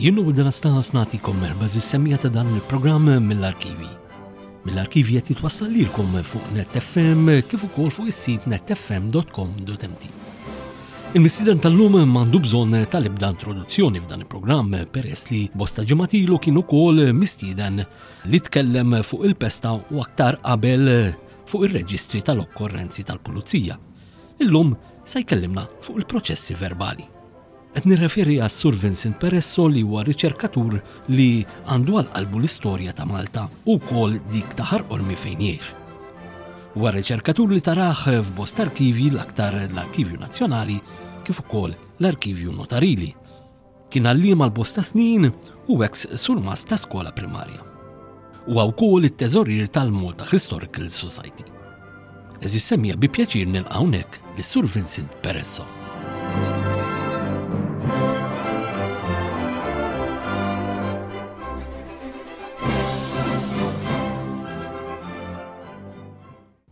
Jien u Anastas nagħtikom merħba żis-semmiegħa ta' dan il-programm mill-arkivi. Mill-arkivi qed jitwassal lilkom fuq Net FM kif ukoll fuq is-sit netfm.com.mt. Il-mistieden tal-lum m'għandu bżonn tal-ebda introduzzjoni f'dan il-programm peress li bosta ġimgħat ilu kien ukoll mistieden li tkellem fuq il-pesta u aktar qabel fuq ir-reġistri tal-okkorrenzi tal-pulizija. Illum se jkellimna fuq il-proċessi verbali. Qed nirreferi għas-Sur Vincent Peresso li huwa riċerkatur li għandu għal qalbu l-istorja ta' Malta u wkoll dik ta' Ħar Qormi fejn jgħix. Huwa riċerkatur li tarah f'bosta arkivji l-aktar l-Arkivju Nazzjonali kif ukoll l-Arkivju Notarili. Kien għalliem għal bosta snin u eks surmast ta' skola primarja. Huwa wkoll it-teżorier tal-Malta Historical Society. Għeżież semmiegħa bi pjaċir nilqa' hawnhekk lis-Sur Vincent Peresso.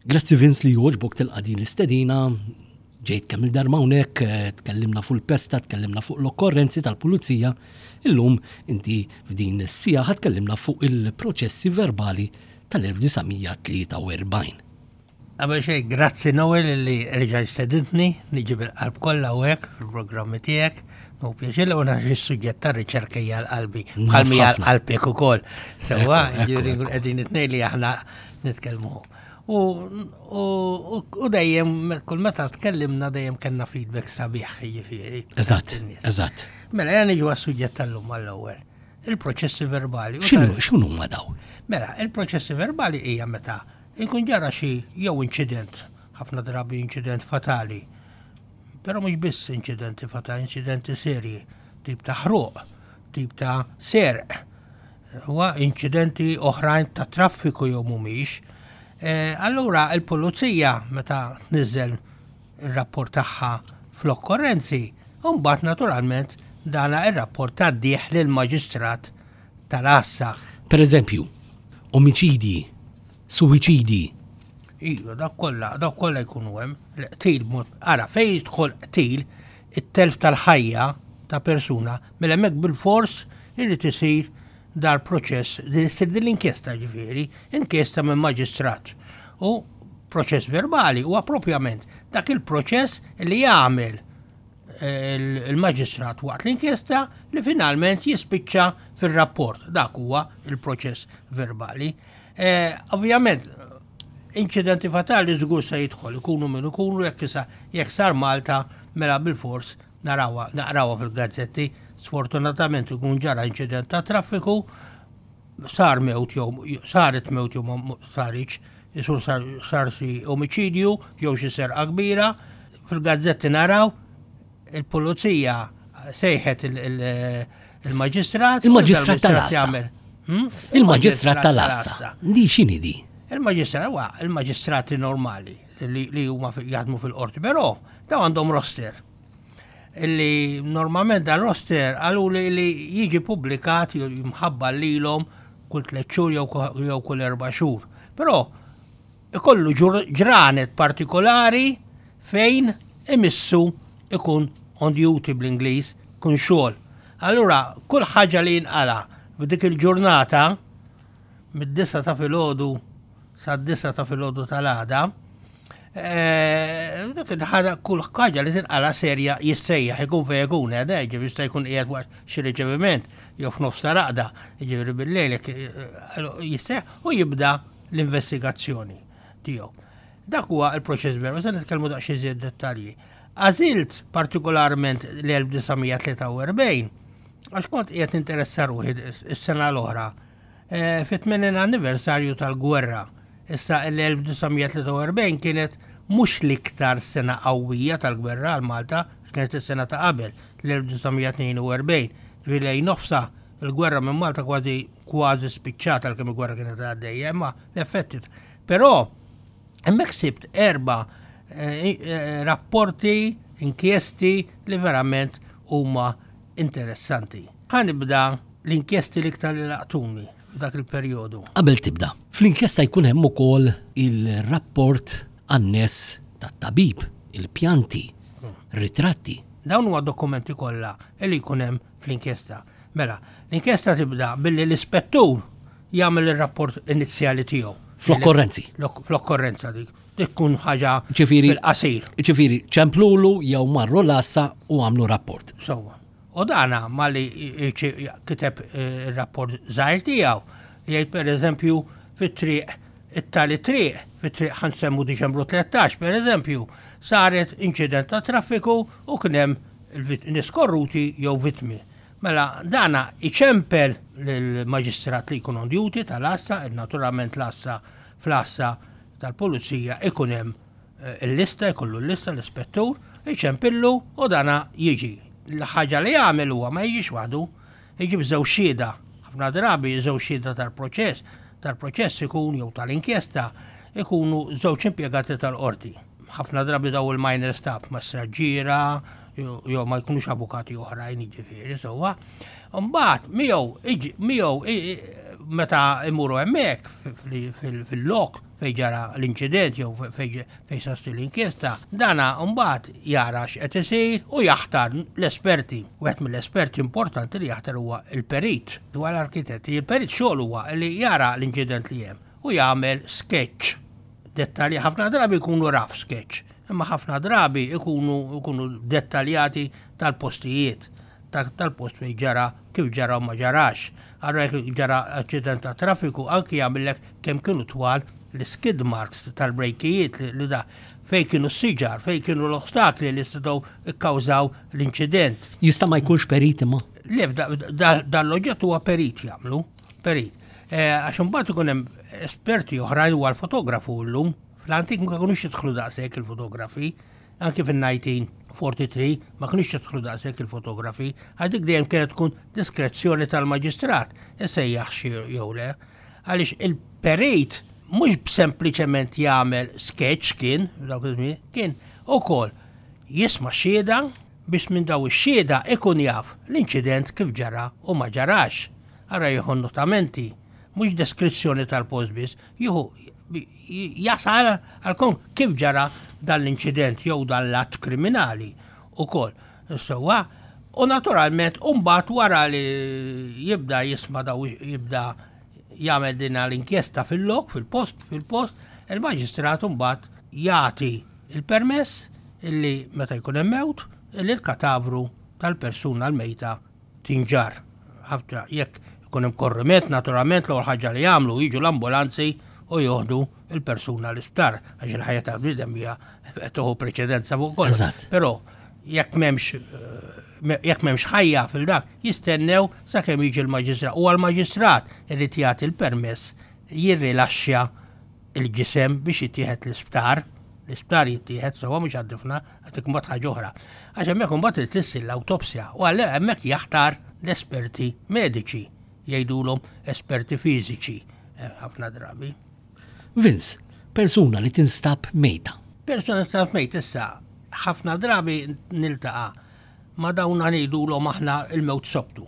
Grazzi Vince li jogħġbok tilqa' din l-istedina. Ġejt kemm il-darba hawnhekk, eh, tkellimna fuq il-pesta, tkellimna fuq l-okkorrenzi tal-pulizija. Illum inti f'din is-sija ħa tkellimna fuq il-proċessi verbali tal-1943. Qabel xejn, grazzi Noel li reġa' stedintni, niġi bil-qalb kollha hawnhekk fil-programmi tiegħek. Nu pjaċir li għax is-suġġett tar-riċerka hija l-qalbi, bħal hija l-qalbek ukoll. Sewwa, jiġifieri nkun qegħdin it-tnejn li aħna nitkellmu. U dejjem, kull meta tkellimna dejjem kellna feedback sabiħ, jiġifieri. Eżatt, eżatt. Mela, jien niġu għas-suġġett tal-lum għall-ewwel. Il-proċessi verbali. X'inhu huma dawn? Mela, il-proċessi verbali hija meta jkun ġara xi jew inċident, ħafna drabi inċident fatali. Però mhux biss inċidenti fatali, inċidenti serji, tip ta' ħruq, tip ta' serq, huwa inċidenti oħrajn ta' traffiku jew mhumiex. Eh, allura il-pulizija meta tniżel ir-rapport tagħha fl-okkorrenzi, u mbagħad naturalment dana ir-rapport tgħaddih lill-maġistrat tal-għassa. Per eżempju, omiċidji, suwiċidji. Iva, dak kollha, dak kollha jkunu hemm, l-qtil mod, ara fejn jidħol qtil, it-telf tal-ħajja ta' persuna, mela hemmhekk bil-fors irid isir dar proċess, din issir din l-inkjesta ġifieri, inkjesta minn maġistrat. U proċess verbali huwa propjament dak il-proċess li jagħmel eh, il-maġistrat waqt l-inkjesta li finalment jispiċċa fil-rapport. Dak huwa il-proċess verbali. Eh, ovvjament, inċidenti fatali żgur se jidħol, ikunu minn ikunu jekk jekk sar Malta mela bil-fors Narawha, naqrawha fil-gazzetti, sfortunatament ikun ġara inċident ta' traffiku, sar mewt jew saret mewt jew ma saritx, isur sar, sar xi omiċidju jew xi serqa kbira, fil-gazzetti naraw il-pulizija sejħet il-maġistrat. Il-maġistrat tal-għassa. Hmm? Il-maġistrat tal-għassa. Di x'inhi di? Il-maġistrat huwa il-maġistrati normali li huma jaħdmu fil-qorti, però daw għandhom roster. Illi normalment dan roster qalu li li jiġi publikat jimħabba lilhom kull tliet xhur jew kull erba' xhur. Però ikollu ġranet partikolari fejn imissu ikun on duty bl-Ingliż, kun xogħol. Allura kull ħaġa li jinqala f'dik il-ġurnata mid-disa ta' filgħodu sad-disa ta' filgħodu tal-għada, eh, dik il-ħaġa kull ħaġa li tinqala serja jissejjaħ ikun fejn ikun eh, ġifieri jista' jkun qiegħed waqt xi riċeviment jew f'nofs ta' raqda, jiġifieri bil-lejl eh, jissejjaħ u jibda l-investigazzjoni tiegħu. Dak huwa l-proċess veru, se nitkellmu daqsxejn iżjed dettalji. Għażilt partikolarment l-1943 għax kont qiegħed ninteressa ruħi s-sena l-oħra Eh, fit-80 anniversarju tal-gwerra. Issa l-1943 kienet mhux l-iktar sena qawwija tal-gwerra għal Malta, kienet is-sena ta' qabel, l-1942. Ġifieri lejn nofsa il-gwerra minn Malta kważi kważi spiċċata għalkemm il-gwerra kienet għaddejja, imma l-effetti. Però hemmhekk sibt erba' eh, eh, rapporti, inkjesti li verament huma interessanti. Ħa nibda l-inkjesti l-iktar li laqtuni f'dak il-perjodu. Qabel tibda, fl-inkjesta jkun hemm ukoll il-rapport anness tat-tabib, il-pjanti, ritratti. Dawn huwa dokumenti kollha li jkun hemm fl-inkjesta. Mela, l-inkjesta tibda billi l-ispettur jagħmel ir-rapport inizjali tiegħu. Fl-okkorrenzi. Fl-okkorrenza dik. Dik tkun ħaġa fil-qasir. Ġifieri ċemplulu jew marru l-għassa u għamlu rapport. Sewwa. U dana malli kiteb eh, ir-rapport żgħir tiegħu li jgħid pereżempju fit-triq it-tali triq, fit-triq ħansemmu Diċembru 13 pereżempju, saret inċident ta' traffiku u kien hemm nies korruti jew vittmi. Mela dana iċempel lill-maġistrat li jkun on duty tal-għassa, naturalment l-għassa fl-għassa tal-pulizija ikun hemm eh, il-lista, jkollu l-lista l-ispettur, iċempillu u dana jiġi. L-ħaġa li jagħmel huwa ma jiġix waħdu, jiġi b'żewġ xhieda. Ħafna drabi żewġ xhieda tal-proċess, tal-proċess ikun jew tal-inkjesta ikunu żewġ impjegati tal-qorti. Ħafna drabi daw il-minor staff, massaġġiera, jew ma jkunux avukati oħrajn jiġifieri sewwa. Mbagħad miegħu miegħu meta imuru hemmhekk fil-lok fejn ġara l-inċident jew fejn sasti l-inkjesta, dana mbagħad jara x'qed isir u jaħtar l-esperti. Wieħed mill-esperti importanti li jaħtar huwa il-perit dwar l-arkitetti. Il-perit xogħol huwa li jara l-inċident li hemm u jagħmel sketch dettalji ħafna drabi jkunu rough sketch, imma ħafna drabi jkunu jkunu dettaljati tal-postijiet, tal-post fejn ġara, kif ġara u ma ġarax. Allura jekk ġara aċċident ta' traffiku anki jagħmillek kemm kienu twal l-skid marks tal-brejkijiet li da fejn kienu s-siġar, fejn kienu l-ostakli li setgħu kkawżaw l-inċident. Jista' ma jkunx perit imma? Le, dan l-oġġett huwa perit jagħmlu, perit. Eh, għax imbagħad ikun hemm esperti oħrajn huwa l-fotografu llum. Fl-antik ma kinux jidħlu daqshekk il-fotografi, anki fin-1943 ma kinux jidħlu daqshekk il-fotografi, għax dik dejjem kienet tkun diskrezzjoni tal-maġistrat isejjaħ xi jew le. Għaliex il-perit mhux sempliċement jagħmel sketch kien dawk iż-żmien, kien ukoll jisma' xhieda biex minn daw ix-xhieda ikun jaf l-inċident kif ġara u ma ġarax. Ara jieħu notamenti, mhux deskrizzjoni tal-post biss, jieħu jasal għal kif ġara dan l-inċident jew dan l-att kriminali ukoll. Sewwa, u naturalment mbagħad wara li jibda jisma' daw jibda jagħmel din l-inkjesta fil-lok, fil-post, fil-post, il-maġistrat mbagħad jagħti il-permess illi meta jkun hemm mewt, illi l-katavru tal-persuna l-mejta tinġarr. Ħafna jekk ikun hemm korriment, naturalment l-ewwel ħaġa li jagħmlu jiġu l-ambulanzi u joħdu il-persuna l-isptar għax il-ħajja tal-bniedem hija tieħu preċedenza fuq kollox. Però jekk m'hemmx eh, jekk m'hemmx ħajja fil-dak, jistennew sakemm jiġi l-maġistrat. U għall-maġistrat irid jagħti l-permess jirrilaxxja il-ġisem biex jittieħed l-isptar, l-isptar jittieħed sewwa mhux għad-difna, għadik imbagħad ħaġa oħra. Għax hemmhekk imbagħad irid issir l-awtopsja u għal hemmhekk jaħtar l-esperti mediċi, jgħidulhom esperti fiżiċi eh, ħafna drabi. Vince, persuna li tinstab mejta. Persuna li tinstab mejta issa ħafna drabi niltaqa' ma dawn ngħidulhom aħna il-mewt sobtu.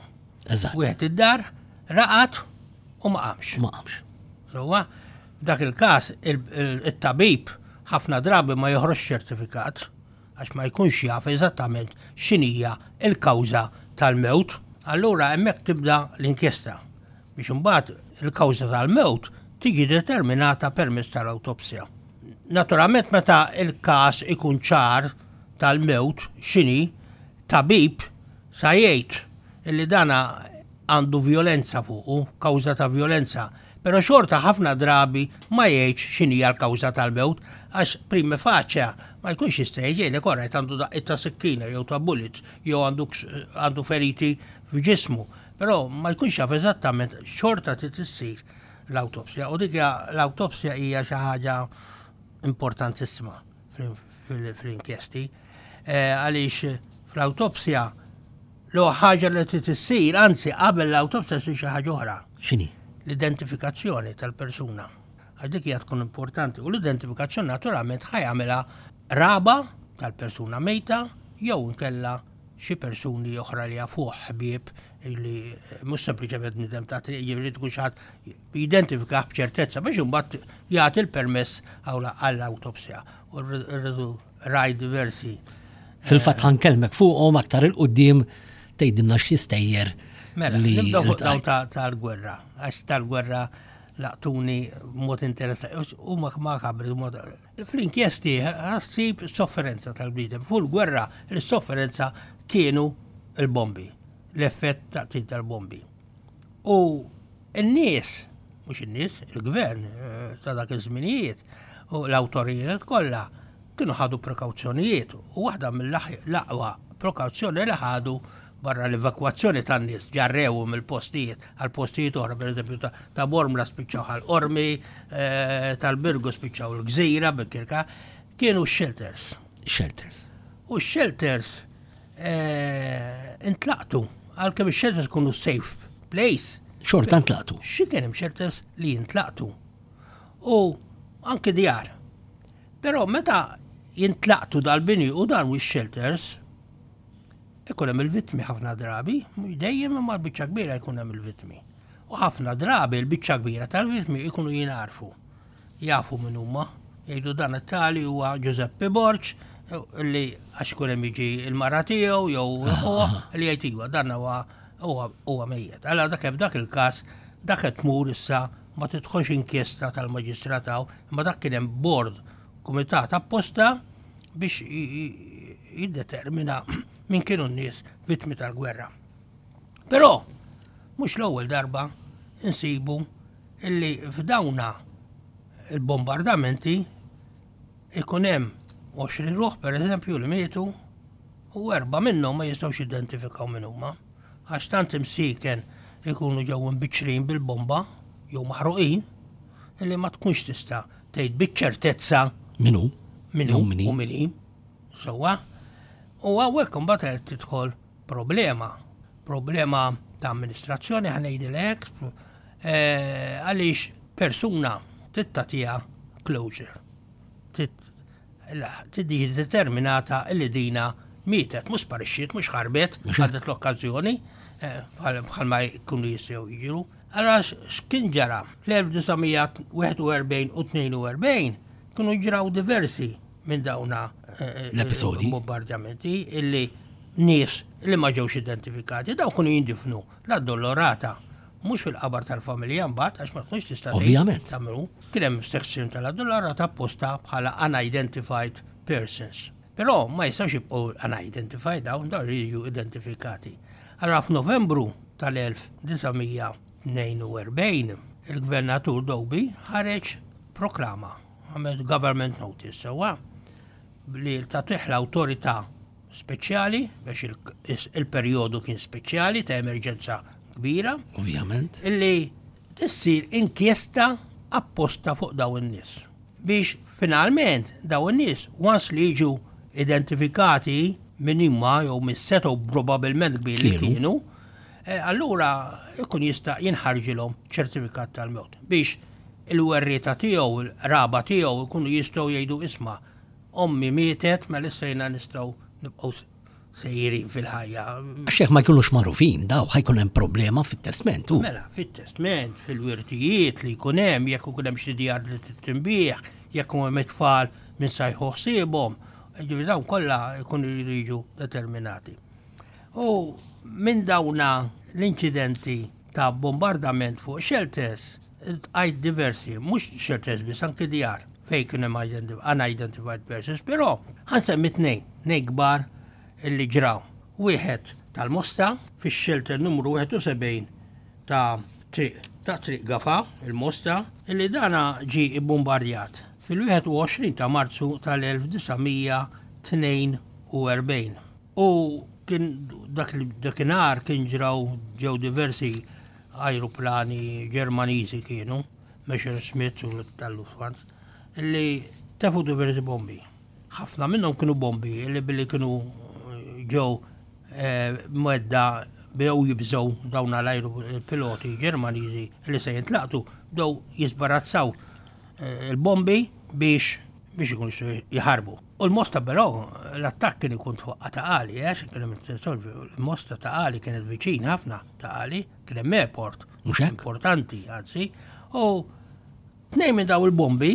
Eżatt. Wieħed id-dar, raqat u ma qamx. Ma qamx. Sewwa, f'dak il-każ it-tabib ħafna drabi ma joħroġx ċertifikat għax ma jkunx jaf eżattament x'inhija l-kawża tal-mewt. Allura hemmhekk tibda l-inkjesta biex imbagħad il-kawża tal-mewt tiġi determinata permezz tal-awtopsja. Naturalment meta l-każ ikun ċar tal-mewt x'inhi, tabib sa jgħid illi dana għandu vjolenza fuqu, kawża ta' vjolenza, però xorta ħafna drabi ma jgħidx x'inhija l-kawża tal-mewt għax prima facie ma jkunx jista' jgħid jgħidlek orajt għandu daqqiet ta' sikkina jew ta' bullet jew għandu għandu feriti f'ġismu, però ma jkunx jaf eżattament xorta trid issir l-awtopsja u dik l-awtopsja hija xi ħaġa importantissima fl-inkjesti eh, għaliex fl-awtopsja L ħaġa li trid issir, anzi qabel l-awtopsja ssir xi ħaġa oħra. X'inhi? L-identifikazzjoni tal-persuna. Għax dik hija tkun importanti u l-identifikazzjoni naturalment ħa jagħmilha raba tal-persuna mejta jew inkella xi persuni oħra li jafuh ħbieb li mhux sempliċement bniedem ta' triq jiġifieri tkun xi ħadd jidentifikah b'ċertezza biex imbagħad jagħti l-permess għall-awtopsja. U rridu raj diversi. Fil-fatt ħankellmek fuqhom aktar 'il quddiem tgħidilna x'jistejjer. Mela, nibdew fuq daw tal-gwerra, għax tal-gwerra laqtuni mod interessanti, u ma makabri, mod fl-inkjesti ħassib sofferenza tal-bniedem. Fuq il-gwerra, l-sofferenza kienu il-bombi, l-effett taqtil tal-bombi. U n-nies, mhux in-nies, il-gvern eh, ta' dak iż-żminijiet u l-awtoritajiet kollha kienu ħadu prekawzjonijiet u waħda mill-aqwa prekawzjoni li ħadu barra l-evakwazzjoni tan-nies ġarrew mill-postijiet għal postijiet oħra, pereżempju ta' Bormla spiċċaw għal Qormi, eh, tal-Birgu spiċċaw l-Gżira Bikirka, kienu x-shelters. Shelters. U x-shelters eh, intlaqtu, għalkemm ix-shelters kunu safe place. Xorta intlaqtu. Xi kien hemm shelters li jintlaqtu. U anke djar. Però meta jintlaqtu dal-bini u dan u shelters ikun hemm il-vittmi ħafna drabi, mhux dejjem imma l-biċċa kbira jkun hemm il-vittmi. U ħafna drabi l-biċċa kbira tal-vittmi jkunu jingħarfu. Jafu min huma. Jgħidu dan it-tali huwa Giuseppe Borg li għax ikun hemm jiġi il-mara tiegħu jew ħuh li jgħid iva dan huwa huwa mejjet. Allora dak f'dak il-każ dak qed tmur issa ma tidħolx inkjesta tal-maġistrat hawn, imma dak kien hemm board kumitat apposta biex jiddetermina min kienu n-nies vittmi tal-gwerra. Però mhux l-ewwel darba insibu illi f'dawna il-bombardamenti ikun hemm 20 ruħ pereżempju li mietu u erba' minnhom ma jistgħux jidentifikaw min huma għax tant imsieken ikunu ġew imbiċċrin bil-bomba jew maħruqin illi ma tkunx tista' tgħid biċ-ċertezza min hu min hu u min hi. Sewwa. U hawnhekk imbagħad qed tidħol problema, problema ta' amministrazzjoni ħa ngħidilek eh, għaliex persuna trid tagħtiha closure. Trid determinata li dina mietet, mhux sparixxiet, mhux ħarbet, ħadet l-okkażjoni eh, bħalma jkunu jistgħu jiġru. Allura x'kien ġara? Fl-1941 u 42 kienu ġraw diversi minn dawna eh, eh, l-episodi bombardjamenti illi nies li ma ġewx identifikati, daw kienu jindifnu la dolorata mhux fil-qabar tal-familja mbagħad għax ma tkunx tista' Ovvjament. tagħmlu. Kien hemm section tal-addolorata apposta bħala unidentified persons. Però ma jistgħux jibqgħu unidentified dawn dawn jiġu identifikati. Allura f'Novembru tal-1942 il-Gvernatur Doby ħareġ proklama, għamel government notice sewwa li tagħtih l-awtorità speċjali biex il-perjodu kien speċjali ta' emerġenza kbira. Ovvjament. Illi tissir inkjesta apposta fuq dawn in-nies. Biex finalment dawn in-nies once li jiġu identifikati min huma jew min setgħu probabbilment kbir li kienu, eh, allura ikun jista' jinħarġilhom ċertifikat tal-mewt biex il-werrieta tiegħu, il-raba tiegħu jkunu jistgħu jgħidu isma' ommi mietet mela issa jiena nistgħu nibqgħu sejrin fil-ħajja. Għax jekk ma jkunux magħrufin daw ħajkun hemm problema fit-testment. Mela, fit-testment, fil-wirtijiet li jkun hemm, jekk ikun hemm xi djar li tinbih, jekk hemm it-tfal minn sajħu ħsiebhom, ġifieri dawn kollha jkunu jridu jiġu determinati. U minn dawna l-inċidenti ta' bombardament fuq shelters, għajt diversi, mhux shelters biss anki djar fejn kien hemm unidentified persons, però ħansemmi tnejn, tnejn kbar illi ġraw. Wieħed tal-Mosta fix-shelter numru 71 ta' triq ta' Triq Gafa, il-Mosta, illi dana ġie ibbumbardjat fil-21 ta' Marzu tal-1942. U kien dak dakinhar kien ġraw ġew diversi ajruplani Ġermaniżi kienu, Messerschmitt u tal-Lufthansa, li tefu diversi bombi. Ħafna minnhom kienu bombi li billi kienu eh, ġew eh, mwedda bdew jibżgħu dawn l-ajru piloti Ġermaniżi li se jintlaqtu bdew jisbarazzaw eh, il-bombi biex biex ikunu jħarbu. U l-Mosta però l-attakk kien ikun fuq ta' għali, għax kien hemm il-Mosta ta' għali kienet viċin ħafna ta' għali, kien hemm airport. Mhux hekk? Importanti, anzi. U tnejn minn daw il-bombi,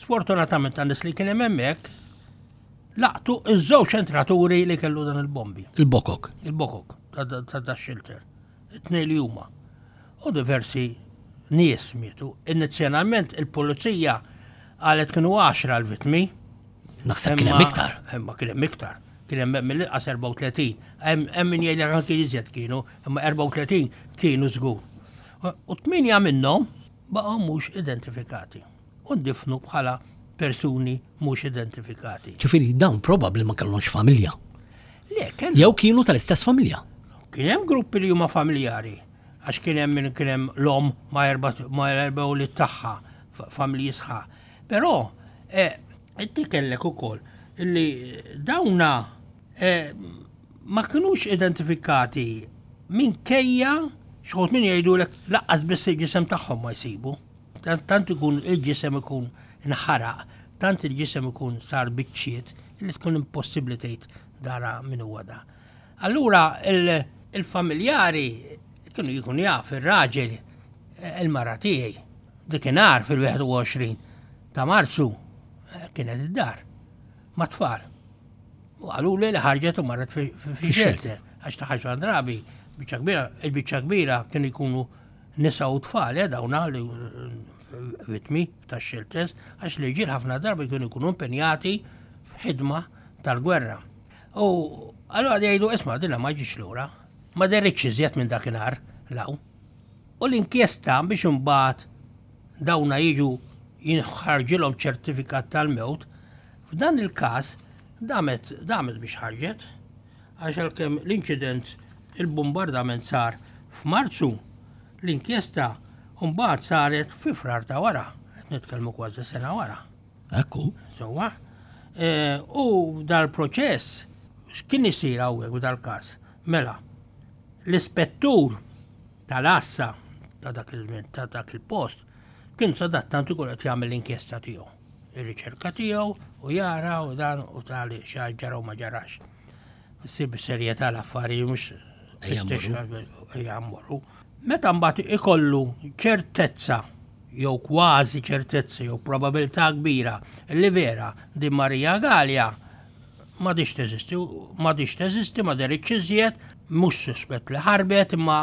sfortunatament tan nies li kien hemm hemmhekk, laqtu iż-żewġ entraturi li kellu dan il-bombi. Il-bokok. Il-bokok. ta' da xilter. It-tnejn li huma. U diversi nies mietu. Inizjalment il-pulizija qalet kienu 10 l-vittmi. Naħseb kien hemm iktar. Imma kien hemm iktar. Kien hemm mill-inqas 34. Hemm min jgħid anki iżjed kienu, imma 34 kienu żgur. U tminja minnhom baqgħu mhux identifikati u ndifnu bħala persuni mhux identifikati. Ġifieri dawn probabbli ma kellhomx familja. Le, Jew kienu tal-istess familja. Kien hemm gruppi li huma familjari, għax kien hemm min kien hemm l-omm ma' erba' ma' erba' ulied tagħha, familji sħaħ. Però eh, inti kellek ukoll li dawna eh, ma kinux identifikati minkejja xħut min jgħidulek laqqas biss il-ġisem tagħhom ma jsibu. Tant ikun il-ġisem ikun inħaraq, tant il-ġisem ikun sar biċċiet li tkun impossibbli tgħid dara min huwa da. Allura il-familjari kienu jkun jaf ir-raġel eh, il-mara tiegħi dikinhar fil-21 ta' Marzu eh, kienet id-dar ma' tfal. U qaluli li ħarġet u marret fi shelter għax ta' ħaxra drabi biċċa kbira, il-biċċa kbira kienu jkunu nisa u tfal, eh, dawna li vittmi ta' shelters, għax li ġil ħafna darba kienu jkunu impenjati f'ħidma tal-gwerra. U allura jgħidu isma' dinha ma ġiex lura, ma derritx iżjed minn dakinhar law. U l-inkjesta biex imbagħad dawna jiġu jinħarġilhom ċertifikat tal-mewt, f'dan il-każ damet damet biex ħarġet. Għax għalkemm l-inċident il-bumbardament sar f'Marzu, l-inkjesta mbagħad saret fi Frar ta' wara, qed nitkellmu kważi sena wara. Ekku. Sewwa. E, u dal-proċess x'kien isir hawnhekk f'dal-każ? Mela, l-ispettur tal-għassa ta' dak ta' dak il-post kien sadattant ikun qed jagħmel l-inkjesta tiegħu, ir-riċerka tiegħu u jara u dan u tali xi ġara u ma ġarax. Issir bis-serjetà l-affarijiet mhux ejja mmorru. Meta mbagħad ikollu ċertezza jew kważi ċertezza jew probabilità kbira li vera din Marija Galea m'għadhiex teżisti, m'għadhiex teżisti, ma deritx iżjed, mhux suspett li ħarbet imma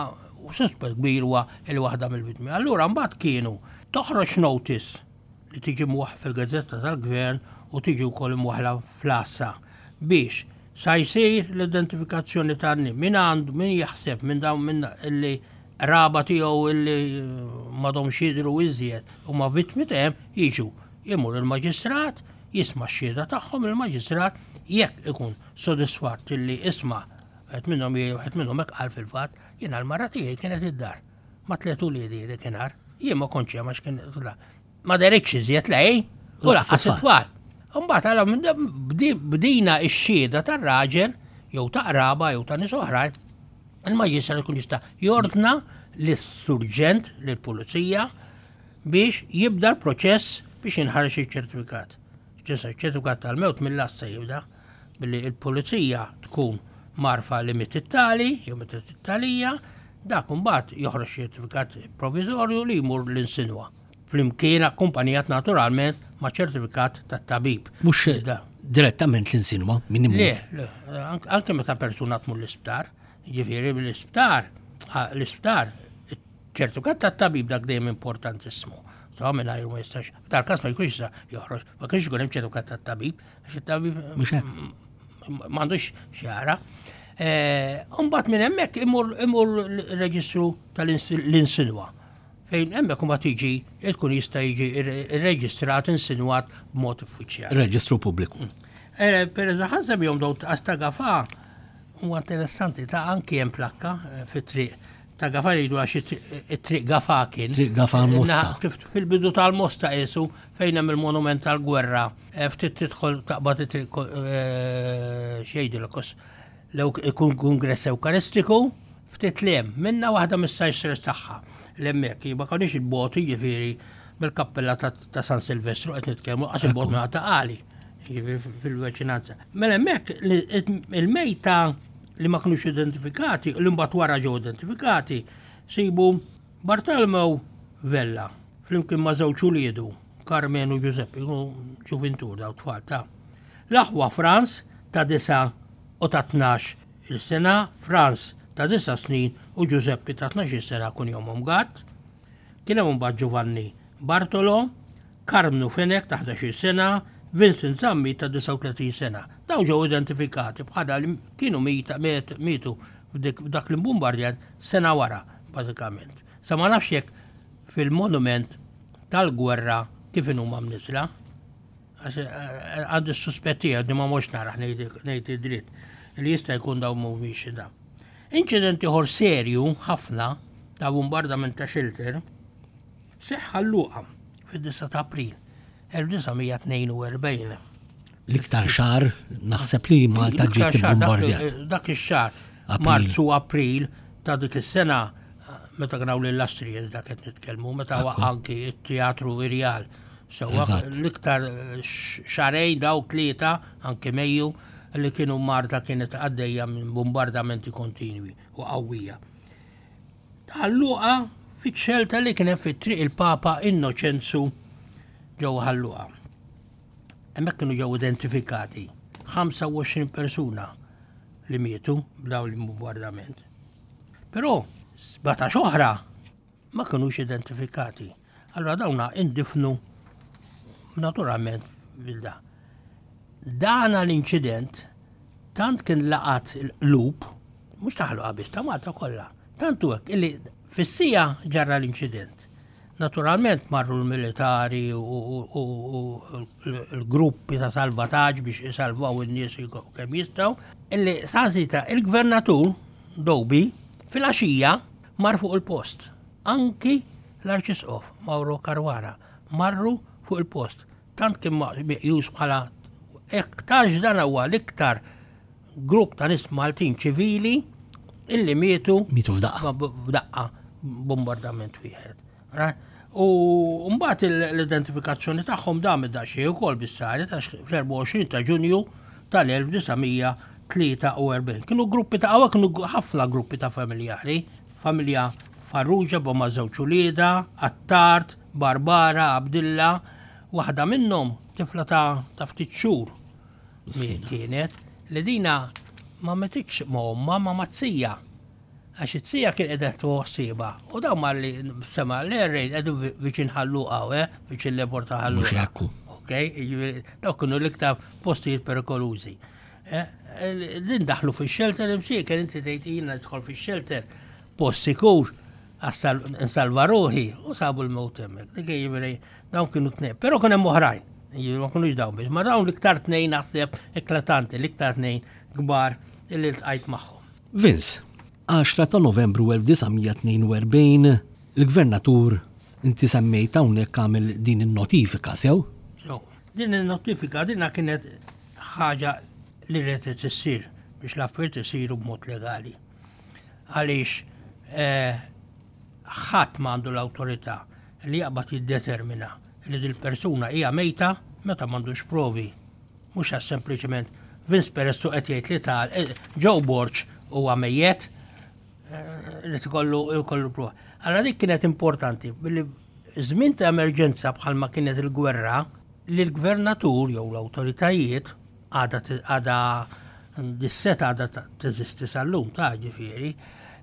suspett kbir huwa li waħda mill-vittmi. Allura mbagħad kienu toħroġ notice li tiġi mwaħ fil-gazzetta tal-gvern u tiġi wkoll imwaħla fl-għassa biex sa jsir l-identifikazzjoni tan min għandu min jaħseb minn dawn minn illi qraba tiegħu illi m'għadhomx jidhru iżjed huma vittmi ta' hemm jiġu. Imur il-maġistrat, jisma' x-xhieda tagħhom il-maġistrat jekk ikun sodisfatt illi isma' wieħed minnhom wieħed minnhom hekk qal fil-fatt, jiena l-mara tiegħi kienet id-dar ma' tliet uliedi dakinhar, jien ma kontx hemm għax kien ma deritx iżjed lej u lanqas it-tfal. Imbagħad għala bdina x-xhieda tar-raġel jew ta' qraba jew ta' nies oħrajn Il-maġistrat ikun jista' jordna lis-surġent, lill-pulizija, biex jibda l-proċess biex jinħareġ iċ-ċertifikat. Ġesa ċertifikat tal-mewt mill-lasta jibda billi il-pulizija tkun marfa li miet it-tali jew mietet it-talija, dak imbagħad joħroġ ċertifikat provviżorju li jmur l-insinwa. Flimkien akkumpanjat naturalment ma' ċertifikat tat-tabib. Mhux direttament l-insinwa min imut. Le, le, anke meta persuna tmur l-isptar, jiġifieri l-isptar, l-isptar, ċertifikat tat-tabib dak dejjem importantissimu. So minn ma jistax, dal-każ ma jkunx jista' joħroġ, ma kienx ikun hemm ċertifikat tat-tabib, għax it-tabib m'għandux xjara. Eh, Umbagħad minn hemmhekk imur imur l-reġistru tal-insinwa. Fejn hemmhekk imbagħad jiġi tkun jista' jiġi rreġistrat insinwat b'mod uffiċjali. Reġistru pubbliku. Mm. Eh, per eżempju, ħanseb jom daw ta' Gafa huwa interessanti ta' anki hemm plakka eh, fit-triq ta' Gafa jridu għax it-triq Gafa kien. Triq Gafa Mosta. Kif fil-bidu tal-Mosta qisu fejn hemm il-monument tal-gwerra, eh, ftit tidħol taqbad it-triq xejdilkos. L-Kungress Ewkaristiku Ftit 'l hemm minnha waħda mis-sajsters tagħha 'l hemmhekk, ma konniex 'il bogħod jiġifieri mill-kappella ta' San Silvestru qed nitkellmu qas 'il bogħod minn ta' Qali, jiġifieri fil-veċinanza. Mela hemmhekk il-mejta li ma kinux identifikati, li mbagħad wara ġew identifikati, sibu Bartolmew Vella flimkien ma' żewġ uliedu, Carmen u Giuseppe, ġuvintur daw tfal ta' l-aħwa Franz ta' 9 u ta' 12 Il-sena, Franz ta' disa' snin u Ġużeppi ta' 12-il sena kunjomhom Gatt. Kien hemm imbagħad Giovanni Bartolo, Karmnu Fenech ta' 11-il sena, Vincent Zammit ta' 39 sena. Dawn ġew identifikati bħala li kienu mietu f'dak l-imbumbardjament sena wara, bażikament. Sa ma nafx jekk fil-monument tal-gwerra kif inhuma mniżla. Għax eh, għandi s-suspett tiegħi ma mhux naraħ ngħid id-dritt li jista' jkun dawn mhumiex da. Inċident ieħor serju ħafna ta' bombardament ta' shelter seħħ Ħal Luqa fid-9 ta' April 1942. L-iktar xahar naħseb li Malta ġiet bombardjat. Dak ix-xahar, Marzu April ta' dik is-sena meta kien hawn l-Astrijes dak qed nitkellmu, meta anki t-teatru Irjal. Sewwa l-iktar xahrejn daw tlieta anki Mejju li kienu Marta kienet għaddejja minn bombardamenti kontinwi u qawwija. Ħal Luqa fiċ-xelta li kien hemm fit-triq il-Papa Innoċenzu ġewwa Ħal Luqa. Hemmhekk kienu ġew identifikati 25 persuna li mietu b'dawn il-bombardament. Però 17 oħra ma kinux identifikati. Allura dawna indifnu naturalment bil-da. Dana l-inċident tant kien laqat il-qlub, mhux ta' Ħal Luqa biss, ta' Malta kollha. Tant hu hekk illi fis-sija ġarra l-inċident. Naturalment marru l-militari u l-gruppi ta' salvataġġ biex isalvaw in-nies kemm jistgħu, illi saħansitra il-gvernatur Doby filgħaxija mar fuq il-post. Anki l-Arċisqof Mauro Caruana marru fuq il-post. Tant kien meqjus bħala aktarx dan huwa l-iktar grupp ta' nies Maltin ċivili illi mietu mietu f'daqqa f'daqqa bombardament wieħed. U mbagħad l-identifikazzjoni tagħhom damet daqsxejn ukoll bis-saret għax fl-24 ta' Ġunju tal-1943. Kienu gruppi ta' hawn kienu ħafna gruppi ta' familjari, familja Farrugia b'ma żewġ uliedha, Attard, Barbara, Abdilla, waħda minnhom tifla ta' ta' ftit xhur kienet li dina ma metitx ma' ommha ma' mat-zija. Għax it-zija kien qiegħda tieħu ħsiebha. U dawn malli sema' l-air raid qegħdin viċin Ħal Luqa hawn, eh, viċin l-airport ta' Ħal Luqa. Mhux hekk hu. Ok, jiġifieri dawk kienu l-iktar postijiet perikolużi. Eh, din daħlu fix-shelter imsieker inti tgħid jiena nidħol fix-shelter post sikur nsalva ruħi u sabu l-mewt hemmhekk. Dik jiġifieri dawn kienu tnejn. Però kien hemm oħrajn. Jiġifieri ma kinux dawn biss, ma dawn l-iktar tnejn naħseb eklatanti, l-iktar tnejn kbar illi ltqajt magħhom. Vince, 10 ta' Novembru 1942 il-Gvernatur inti semmejt hawnhekk għamel din in-notifika sew? Sew. Din in-notifika dinha kienet ħaġa li retet issir biex l-affarijiet isiru b'mod legali. Għaliex eh, ħadd ma għandu l-awtorità li jaqbad jiddetermina li dil-persuna hija mejta meta m'għandux provi. Mhux għax sempliċement Vince Perez qed jgħid li tal eh, Joe Borg huwa mejjet eh, li tkollu jkollu prova. Allora dik kienet importanti billi żmien ta' emerġenza bħalma kienet il-gwerra li l-gvernatur jew l-awtoritajiet għadha għadha dis-seta għadha teżisti sal-lum ta' ġifieri,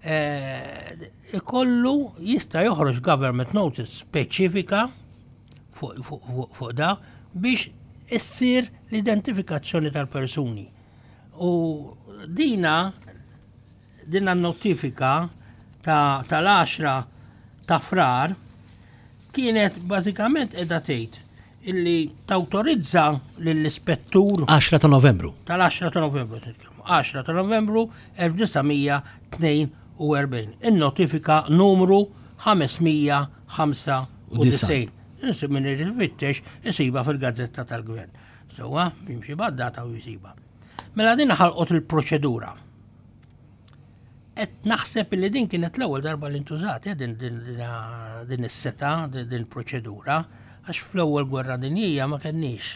eh, ikollu jista' joħroġ government notice speċifika fuq da biex issir l-identifikazzjoni tal-persuni. U dina dina notifika tal-10 ta' frar kienet bażikament qiegħda tgħid illi tawtorizza lill-ispettur 10 ta' Novembru. Tal-10 ta' Novembru nitkellmu. 10 ta' Novembru 1942. In-notifika numru 595. Insib min irid ifittex isiba fil-gazzetta tal-gvern. Sewwa, jimxi bad-data u jisiba. Mela din ħalqot il-proċedura. Qed naħseb li din kienet l-ewwel darba li ntużat eh, din, din, din is-seta, din il-proċedura, għax fl-ewwel gwerra dinjija ma kenniex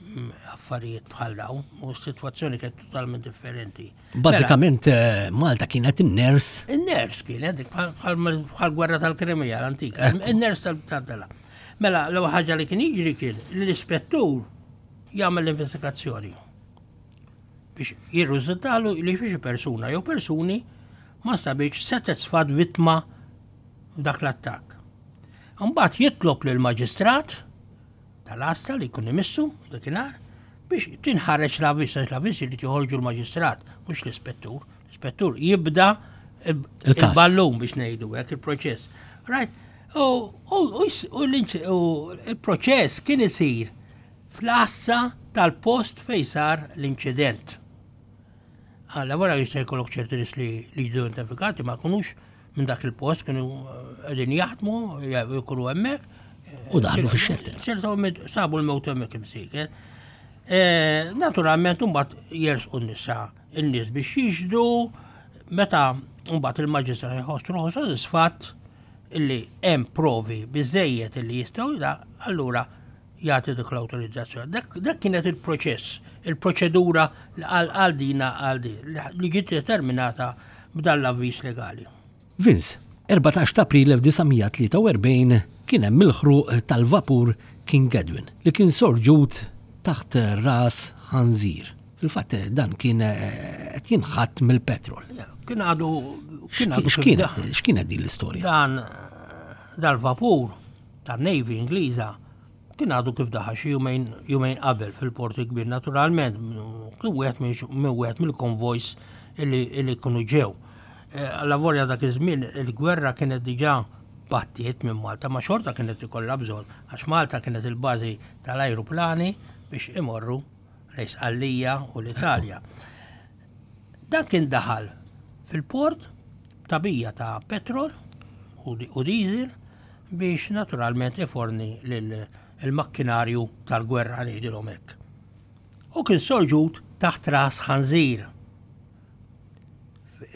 mm, affarijiet bħal dawn, u s-sitwazzjoni kienet totalment differenti. Mela Bażikament eh, Malta kienet in-ners. In-ners kienet, bħal gwerra tal-Krimija l-antika, in-ners tal-tala. Mela, l-ewwel ħaġa li kien jiġri kien li l-ispettur jagħmel l-investigazzjoni. biex jirriżultalu li xi persuna jew persuni ma nstabitx setgħet sfat vittma f'dak l-attakk. Imbagħad jitlob lill-maġistrat tal-għassa li jkun imissu dakinhar biex tinħareġ l-avviż, għax l-avviż irid joħorġu l-maġistrat, mhux l-ispettur. L-ispettur jibda il-ballun biex ngħidu hekk il-proċess. Right? U il-proċess kien isir fl-għassa tal-post fejn sar l-inċident. Alla wara jista' jkollok ċerti nies li jiġu identifikati ma jkunux minn dak il-post kienu qegħdin jaħdmu, jkunu hemmhekk. U daħlu fix-xelter. Ċertu sabu l-mewt hemmhekk imsiken. Eh, naturalment imbagħad jersqu n-nisa in-nies biex jixhdu meta mbagħad il-maġistrat jħoss ruħu sodisfatt illi hemm provi biżejjed illi jistgħu da, allura jagħti dik l-awtorizzazzjoni. Dak kienet il-proċess, il-proċedura għal dina għal din li ġiet determinata b'dan l-avviż legali. Vince, 14 ta' April 1943 kien hemm il-ħruq tal-vapur King Edwin li kien sorġut taħt ras ħanżir. Fil-fatt dan kien eh, qed jinħatt mill-petrol. Kien għadu kien għadu x'kienet din l-istorja? Dan dal-vapur tan-Navy Ingliża kien għadu kif daħal xi jumejn jumejn qabel fil-port il-kbir naturalment kien wieħed minn wieħed mill-konvojs illi illi kienu ġew. Eh, alla volja dak iż-żmien il-gwerra kienet diġà battiet minn Malta, ma xorta kienet ikollha bżonn għax Malta kienet il-bażi tal-ajruplani biex imorru lejn Sqallija u l-Italja. Dan kien daħal fil-port b'tagħbija ta' petrol u diesel biex naturalment iforni l-makkinarju tal-gwerra ngħidilhom hekk. U kien sorġut taħt ras ħanżir.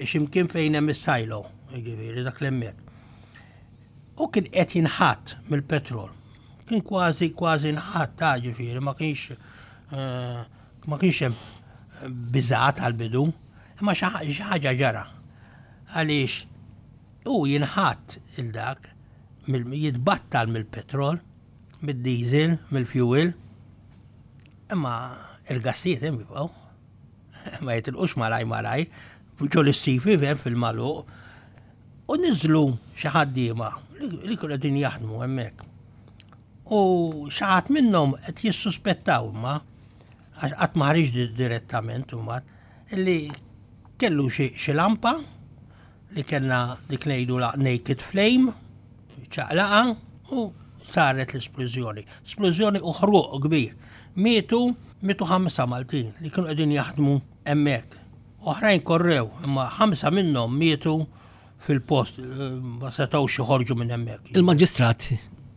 X'imkien fejn hemm is-sajlo, jiġifieri dak l-hemmhekk. U kien qed jinħatt mill-petrol. Kien kważi kważi nħatt ta' ġifieri ma kienx eh, ma kienx hemm biżgħat għall-bidu, imma xi ħaġa ġara. Għaliex hu jinħatt il dak jitbattal mill-petrol, mid-diesel, mill-fuel, imma il-gassijiet hemm jibqgħu. Ma jitilqux malaj malaj, ġo l-istifi fil-magħluq. U niżlu xi ħaddiema li kienu qegħdin jaħdmu hemmhekk. U xi ħadd minnhom qed jissuspettaw imma għax qatt ma ħariġ direttament imbagħad illi kellu xi lampa li kellna dik ngħidu la naked flame, ċaqlaqa u saret l-esplużjoni. Splużjoni u ħruq kbir. Mietu, mietu ħamsa Maltin li kienu qegħdin jaħdmu hemmhekk. Oħrajn korrew, imma ħamsa minnhom mietu fil-post, ma setgħux joħorġu minn hemmhekk. Il-Maġistrat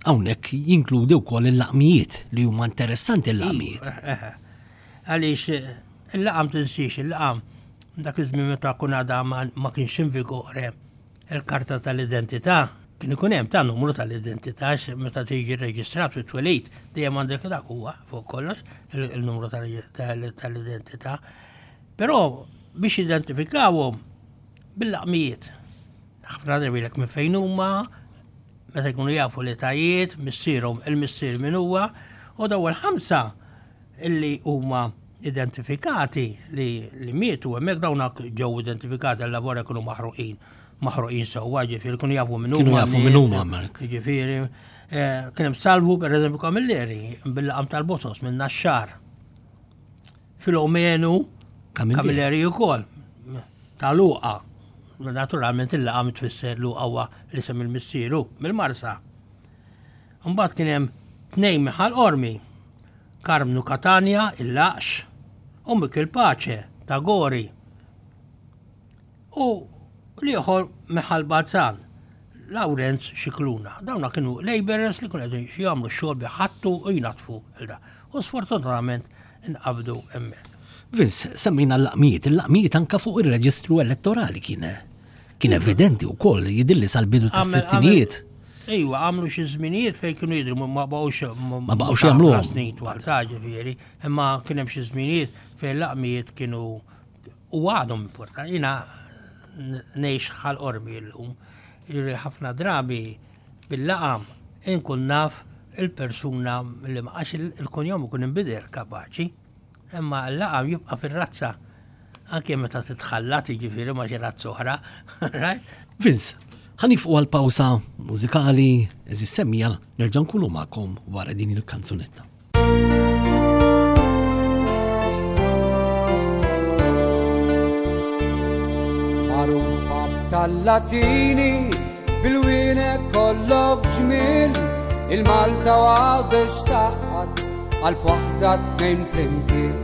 hawnhekk jinkludi wkoll il-laqmijiet li huma interessanti l-laqmijiet. Eh, eh, eh. Għaliex il-laqam tinsiex, il-laqam dak iż-żmien meta kun għadha ma kienx in vigore il-karta tal-identità, kien ikun hemm ta' numru tal-identità meta tiġi rreġistrat fit-twelid, dejjem għandek dak huwa fuq kollox il-numru tal-identità. Però biex jidentifikawhom bil-laqmijiet. Ħafna drabi lek minn fejn huma, meta jkunu jafu l-etajiet, missierhom, il-missier min huwa, u daw il-ħamsa illi huma identifikati li, li mietu hemmhekk dawn ġew identifikati għal lavora kienu maħruqin, maħruqin sewwa, ġifieri kienu jafu minn huma. Kienu jafu minn huma. Ġifieri, eh, kien hemm Salvu pereżempju Camilleri bil-laqam tal-Botos minn Naxxar. Filomenu Camilleri wkoll ta' Luqa. Naturalment il-laqam tfisser Luqa huwa l-isem il-missieru mill-Marsa. Mbagħad kien hemm tnejn minn Ħal Qormi, Karmnu Katanja, il-Laqx, u Mikil Pace ta' Gori. U l-ieħor Miħal Balzan, Lawrenz Scicluna. Dawna kienu labourers li kienu qegħdin jagħmlu x-xogħol bi ħattu u jnaddfu il da. U sfortunatament inqabdu hemmhekk. Vince, semmejna l-laqmijiet, il-laqmijiet anka fuq ir-reġistru elettorali kien kien evidenti wkoll jidilli sal-bidu tas-sittinijiet. Ejwa, għamlu xi żminijiet fejn kienu jidhru ma baqgħux ma baqgħux jagħmlu snin twal ta' ġifieri, imma kien hemm xi żminijiet fejn laqmijiet kienu U għadhom importanti. Jiena ngħix Ħal Qormi llum. Jiġifieri ħafna drabi bil-laqam inkun naf il-persuna li ma għax il-kunjom ikun inbidel kapaċi, imma l-laqam jibqa' fir-razza. Anke meta titħallat jiġifieri ma' xi razza oħra, right? Vince, ħa nifqu għal pawsa mużikali, eżis semmija, nerġa' nkunu magħkom wara din il-kanzunetta. Magħrufa tal-Latini bil-wienek kollok ġmiel il-Malta u Għawdex taqgħad qalb waħda tnejn flimkien.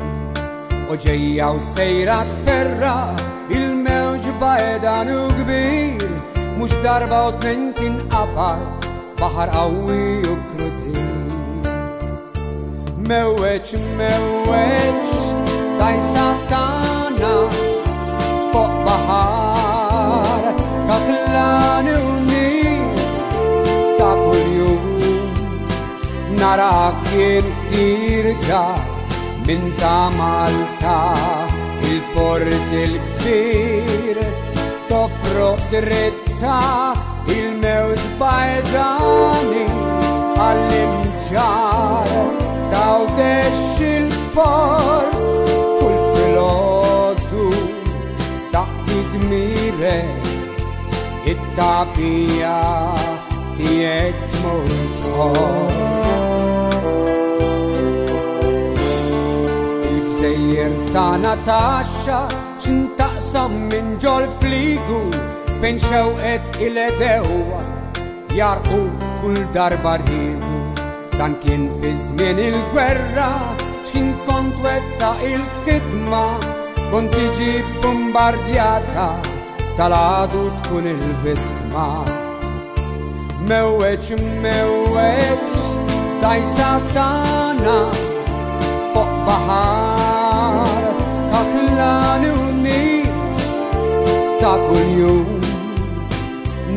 U ġejja u sejra tferra il-mewġ bajdan u kbir mhux darba u tnejn tinqabad baħar qawwi u krudil. Mewweġ, mewweġ, dajsa tagħna fuq baħar kaħlan u nil ta' kuljum. Nara kien ħirġa minn ta' Malta il-port il-kbir tofroq dritta il-mewġ bajdani għall-imġar tawdex il-port kull filgħodu taqdi dmirek it-tagħbija tiegħek tmur tħobb. Il-gżejjer tagħna taxxa x'intaqsam minn ġol fligu fejn xewqet il-edewwa jarqu kull darba rridu. Dan kien fi żmien il-gwerra x'ħin kont wetta il-ħidma kont tiġi bombardjata tal-għadu tkun il-vittma. Mewweġ, mewweġ, dajsa tagħna fuq baħar kaħlan u nil ta' kuljum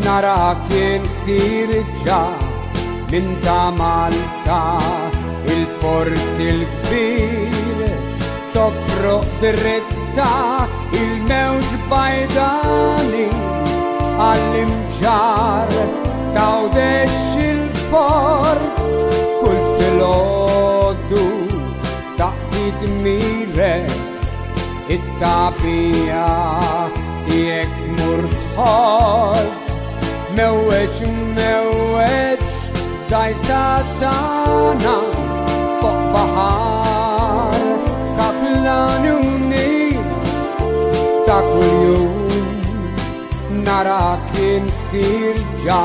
nara kien ħirġa minn ta' Malta il-port il-kbir tofroq dritta il-mewġ bajdani għall-imġar tawdex il-port kull filgħodu taqdi dmirek it-tagħbija tiegħek tmur tħodd mewweġ mewweġ dajsa tagħna fuq baħar kaħlan u nil ta' kuljum nara kien ħirġa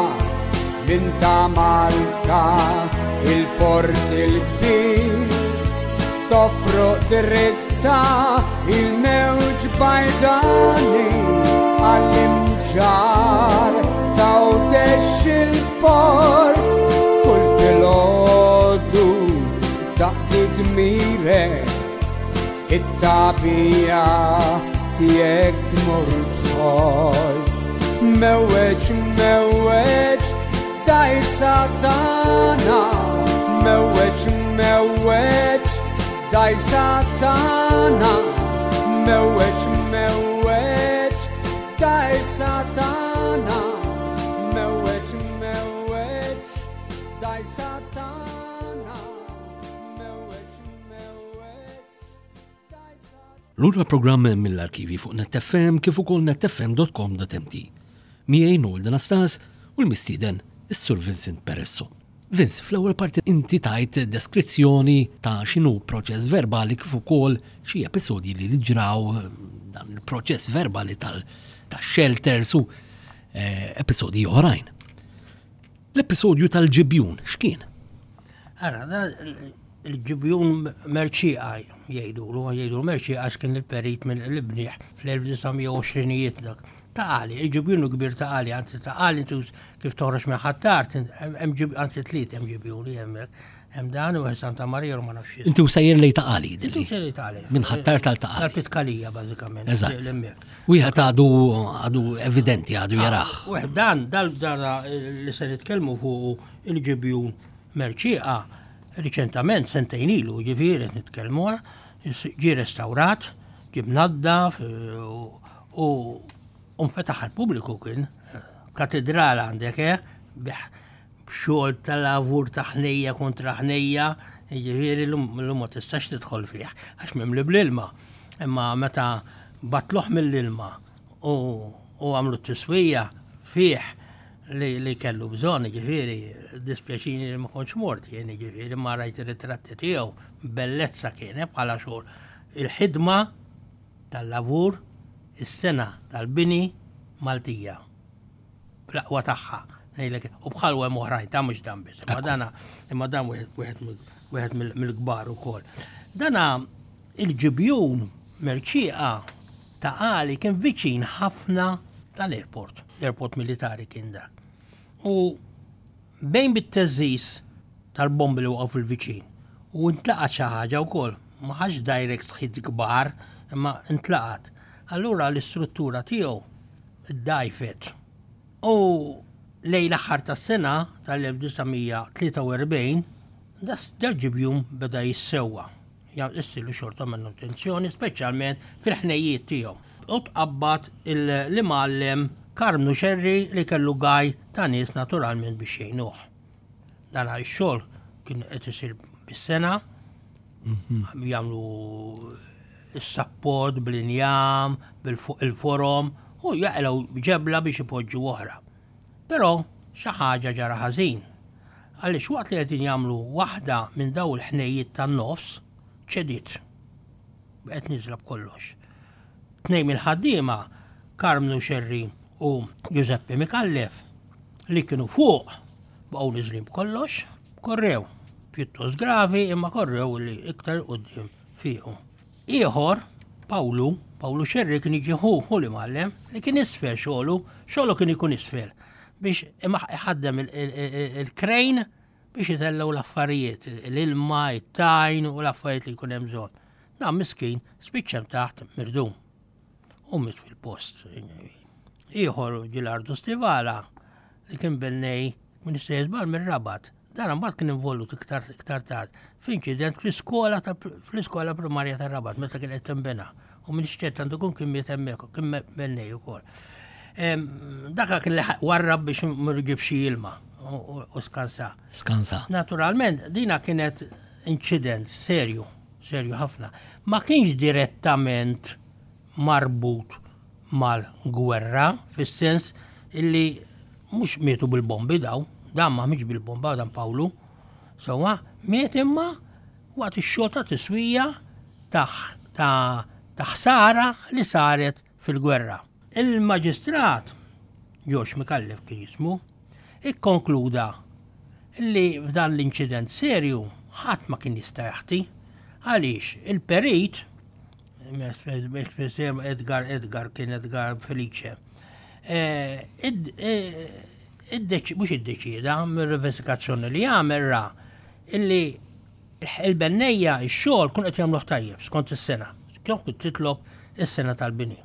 minn ta' Malta il-port il-kbir tofroq dritta il-mewġ bajdani għall-imġar tawdex il-port kull filgħodu taqdi dmirek it-tagħbija tiegħek tmur tħodd. Mewweġ, mewweġ, dajsa tagħna. Mewweġ, mewweġ, dajsa tagħna. Mewweġ, mewweġ, dajsa tagħna. Mewweġ, mewweġ, dajsa tagħna. Mewweġ, mewweġ, dajsa Lura programm mill-arkivi fuq Net FM kif ukoll netfm.com.mt. Miegħi Noel Anastas u l-mistieden is-Sur Vincent Peresso. Vince, fl-ewwel parti inti tajt deskrizzjoni ta' x'inhu proċess verbali kif ukoll xi episodji li ġraw dan il-proċess verbali tal-shelters u eh, episodji oħrajn. L-episodju tal-ġibjun x'kien? Ara, il-ġibjun Merċieqa jgħidulu, jgħidulu Merċieqa għax kien il-perit mill-Ibniħ fl-1920ijiet dak. Ta' Għali, il-ġibjun kbir ta' Għali, anzi ta' Għali intu kif toħroġ minn Ħ'Attard, hemm ġib, anzi tliet hemm ġibjuni hemmhekk. Hemm dan u wieħed Santa Marija u ma nafx x'ismu. Inti u sejjer lej ta' Għali. Inti u sejjer lej ta' Għali. Minn Ħ'Attard tal ta' Għali. Tal-Pitkalija bażikament. Eżatt. Wieħed għadu għadu evidenti għadu ah, jaraħ. Wieħed dan dal dan li se nitkellmu fuq il-ġibjun Merċieqa riċentament sentejn ilu ġifieri qed nitkellmu ġie restawrat, ġie mnaddaf u nfetaħ għall-pubbliku kien katedral għandek eh b'xogħol ta' lavur ta' ħnejja kontra ħnejja, jiġifieri llum ma tistax tidħol fih għax mimli bl-ilma. Imma meta Batluh mill-ilma u għamlu t-tiswija fih li, li kellu bżonn, ġifieri, dispjaċini li ma kontx mort jien, ġifieri, ma rajt ir-ritratti tiegħu, bellezza kien eh, bħala xogħol. Il-ħidma tal-lavur, is-sena tal-bini Maltija. Bl-aqwa tagħha. Ngħidlek, u bħal hemm oħrajn ta' mhux dan biss, imma dana imma dan wieħed mill-kbar ukoll. Dana il-ġibjun Merċieqa ta' Għali kien viċin ħafna tal-airport, l-airport militari kien dak. U bejn bit-teżżiż tal-bombi li waqgħu fil-viċin u ntlaqat xi ħaġa wkoll, ma ħax direct hit kbar, imma ntlaqat. Allura l-istruttura tiegħu ddgħajfet. U lejn l-aħħar tas-sena tal-1943 dal-ġibjun beda jissewwa. Issilu xorta manutenzjoni, speċjalment fil-ħnejjiet tiegħu. U tqabbad l-imgħallem Karmnu Xerri li kellu gaj ta' nies naturalment biex jgħinuh. Dan ix-xogħol kien qed isir bis-sena, jagħmlu s-sapport bl-injam, bil-fuq il-forom u jaqilgħu ġebla biex ipoġġu oħra. Però xi ħaġa ġara ħażin. Għaliex waqt li qegħdin jagħmlu waħda minn daw il-ħnejjiet tan-nofs, ċediet. Baqgħet nieżla b'kollox. Tnejn mill-ħaddiema, Karmnu Xerri u Giuseppe Micallef, li kienu fuq, baqgħu niżlin b'kollox, korrew. Pjuttost gravi imma korrew li iktar quddiem fiequ. Ieħor, Pawlu, Pawlu Xerri kien jiġi ħu, ħu l-imgħallem, li kien isfel xogħlu, xogħlu kien ikun isfel biex iħaddem il-krejn biex itellgħu l-affarijiet, l-ilma, it-tajn u l-affarijiet li jkun hemm bżonn. Dan miskin spiċċa hemm taħt mirdum u miet fil-post. Ieħor Ġilardu Stivala li kien bennej minn istess żball mir-Rabat. Dan imbagħad kien involut iktar iktar tard f'inċident fl-iskola ta' fl-iskola primarja tar-Rabat meta kien qed tinbena. U minn ċert għandu jkun kien miet hemmhekk, kien bennej ukoll. Daka kien li warrab biex ma jġibx xi ilma u skansa. Skansa. Naturalment, dina kienet inċident serju, serju ħafna. Ma kienx direttament marbut mal-gwerra, fis-sens illi mhux mietu bil-bombi daw, dan ma mietx bil-bomba dan Pawlu. Sewwa, miet imma waqt ix-xogħol ta' tiswija ta' ta' ħsara li saret fil-gwerra. Il-Maġistrat, George Micallef kien jismu, ikkonkluda li f'dan l-inċident serju ħadd ma kien jista' jaħti għaliex il-perit Edgar Edgar kien Edgar Felice. Eh, eh, mhux iddeċieda mill-investigazzjoni li għamel ra illi il-bennejja x-xogħol kun qed jagħmluh tajjeb skont is-sena. Kif kont titlob is-sena tal-bini.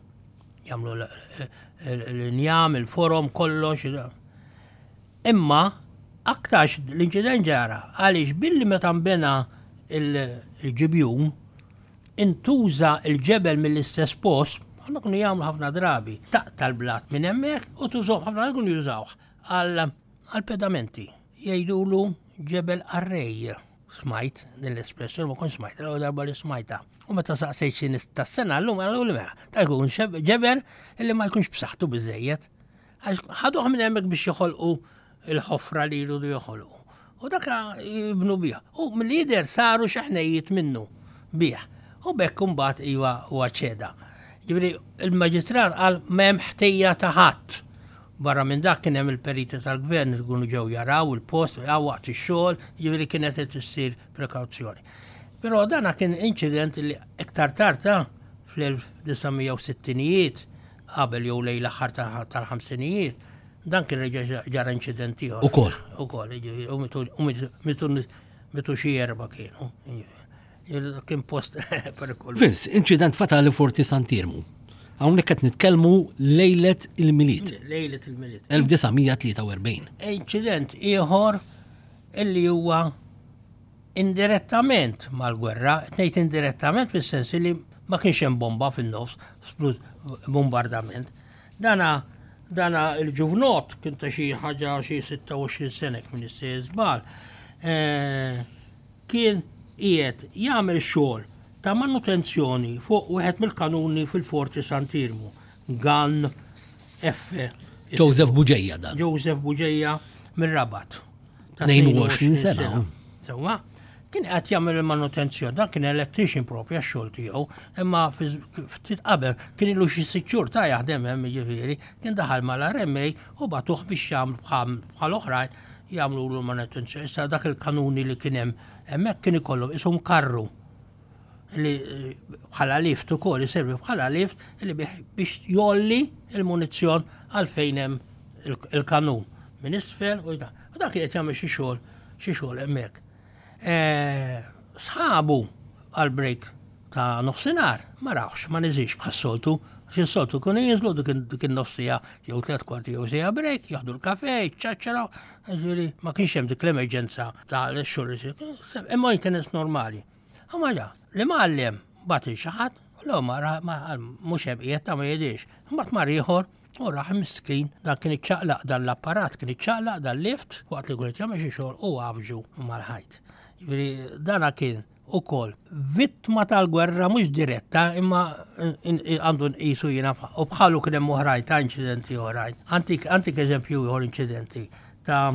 Jagħmlu l-injam, il-forom, kollox. Imma aktarx l-inċident ġara għaliex billi meta nbena il-ġibjun Intuża l-ġebel mill-istess post, bħalma kienu jagħmlu ħafna drabi, taqta' l-blat minn hemmhekk u tużhom, ħafna drabi kienu jużawh għall-pedamenti. Jgħidulu ġebel qarrej. Smajt din l-espressjoni, ma kontx smajtha, l-ewwel darba li smajtha. U meta saqsejt xi nies tas-sena llum qaluli mela, ta' jkun ġebel illi ma jkunx b'saħħtu biżżejjed. Għax ħaduh minn hemmhekk biex joħolqu il-ħofra li jridu joħolqu. U dak jibnu bih. U milli jidher saru xi ħnejjiet minnu bih. U b'hekk imbagħad iva huwa ċeda. Ġifieri il-maġistrat qal m'hemm ħtija ta' ħadd. Barra minn dak kien hemm il-periti tal-gvern li jkunu ġew jaraw il-post waqt ix-xogħol, ġifieri kienet qed issir prekawzjoni. Però dana kien inċident li iktar tard fl-1960ijiet qabel jew lejn l-aħħar tal-ħamsinijiet, dan kien reġa' ġara inċident ieħor. Ukoll. Ukoll, jiġifieri, u mitu mitu xi erba' kienu. Kien post perikoluż. Vince, inċident fatali Forti Sant'Iermu. Hawnhekk qed nitkellmu lejlet il-Milied. Lejlet il-Milied. 1943. Inċident ieħor illi huwa indirettament mal-gwerra, qed ngħid indirettament fis-sens li ma kienx hemm bomba fin-nofs, bombardament. Dana dana il-ġuvnot kien ta' xi ħaġa xi 26 sena jekk m'iniex sejjer żball, eh, kien qiegħed jagħmel xogħol ta' manutenzjoni fuq wieħed mill-kanuni fil-Forti Sant'Iermu, Gun F. Joseph Bugeja dan. Joseph Bugeja mir-Rabat. Ta' 22 sena. Sewwa, kien qed jagħmel il-manutenzjoni, dan kien electrician propja x-xogħol tiegħu, imma ftit qabel kien ilu xi sitt xhur ta' jaħdem hemm jiġifieri, kien daħal mal-RMA u bagħtuh biex jagħmlu bħal oħrajn jagħmlu l manutenzjoni. Issa dak il-kanuni li kien hemm hemmhekk kien ikollhom ishom karru li bħala lift ukoll iservi bħala lift li biex jolli il-munizzjon għal fejn hemm il-kanun minn isfel u dak. U dak qed jagħmel xi xogħol xi xogħol hemmhekk. Sħabu għal break ta' nofsinhar ma rawx, ma niżilx bħas-soltu, għax is-soltu kienu jinżlu dik in-nofsija jew tliet kwarti jew siegħa break, jaħdu l-kafe, jiċċaċċraw, jiġifieri ma kienx hemm dik l-emerġenza ta' x-xogħol imma maintenance normali. Imma ġa, l-imgħallem bagħat lil xi ħadd, u ma mhux hemm qiegħed ta' ma jidhirx. Imbagħad mar ieħor u raħ miskin dan kien iċċaqlaq dan l-apparat, kien iċċaqlaq dan lift waqt li kien jagħmel xi xogħol u għafġu mal-ħajt. Jiġifieri dana kien ukoll vittma tal-gwerra mhux diretta imma għandu nqisu jiena u bħalu kien hemm oħrajn ta' inċidenti oħrajn. Antik antik eżempju ieħor inċidenti ta'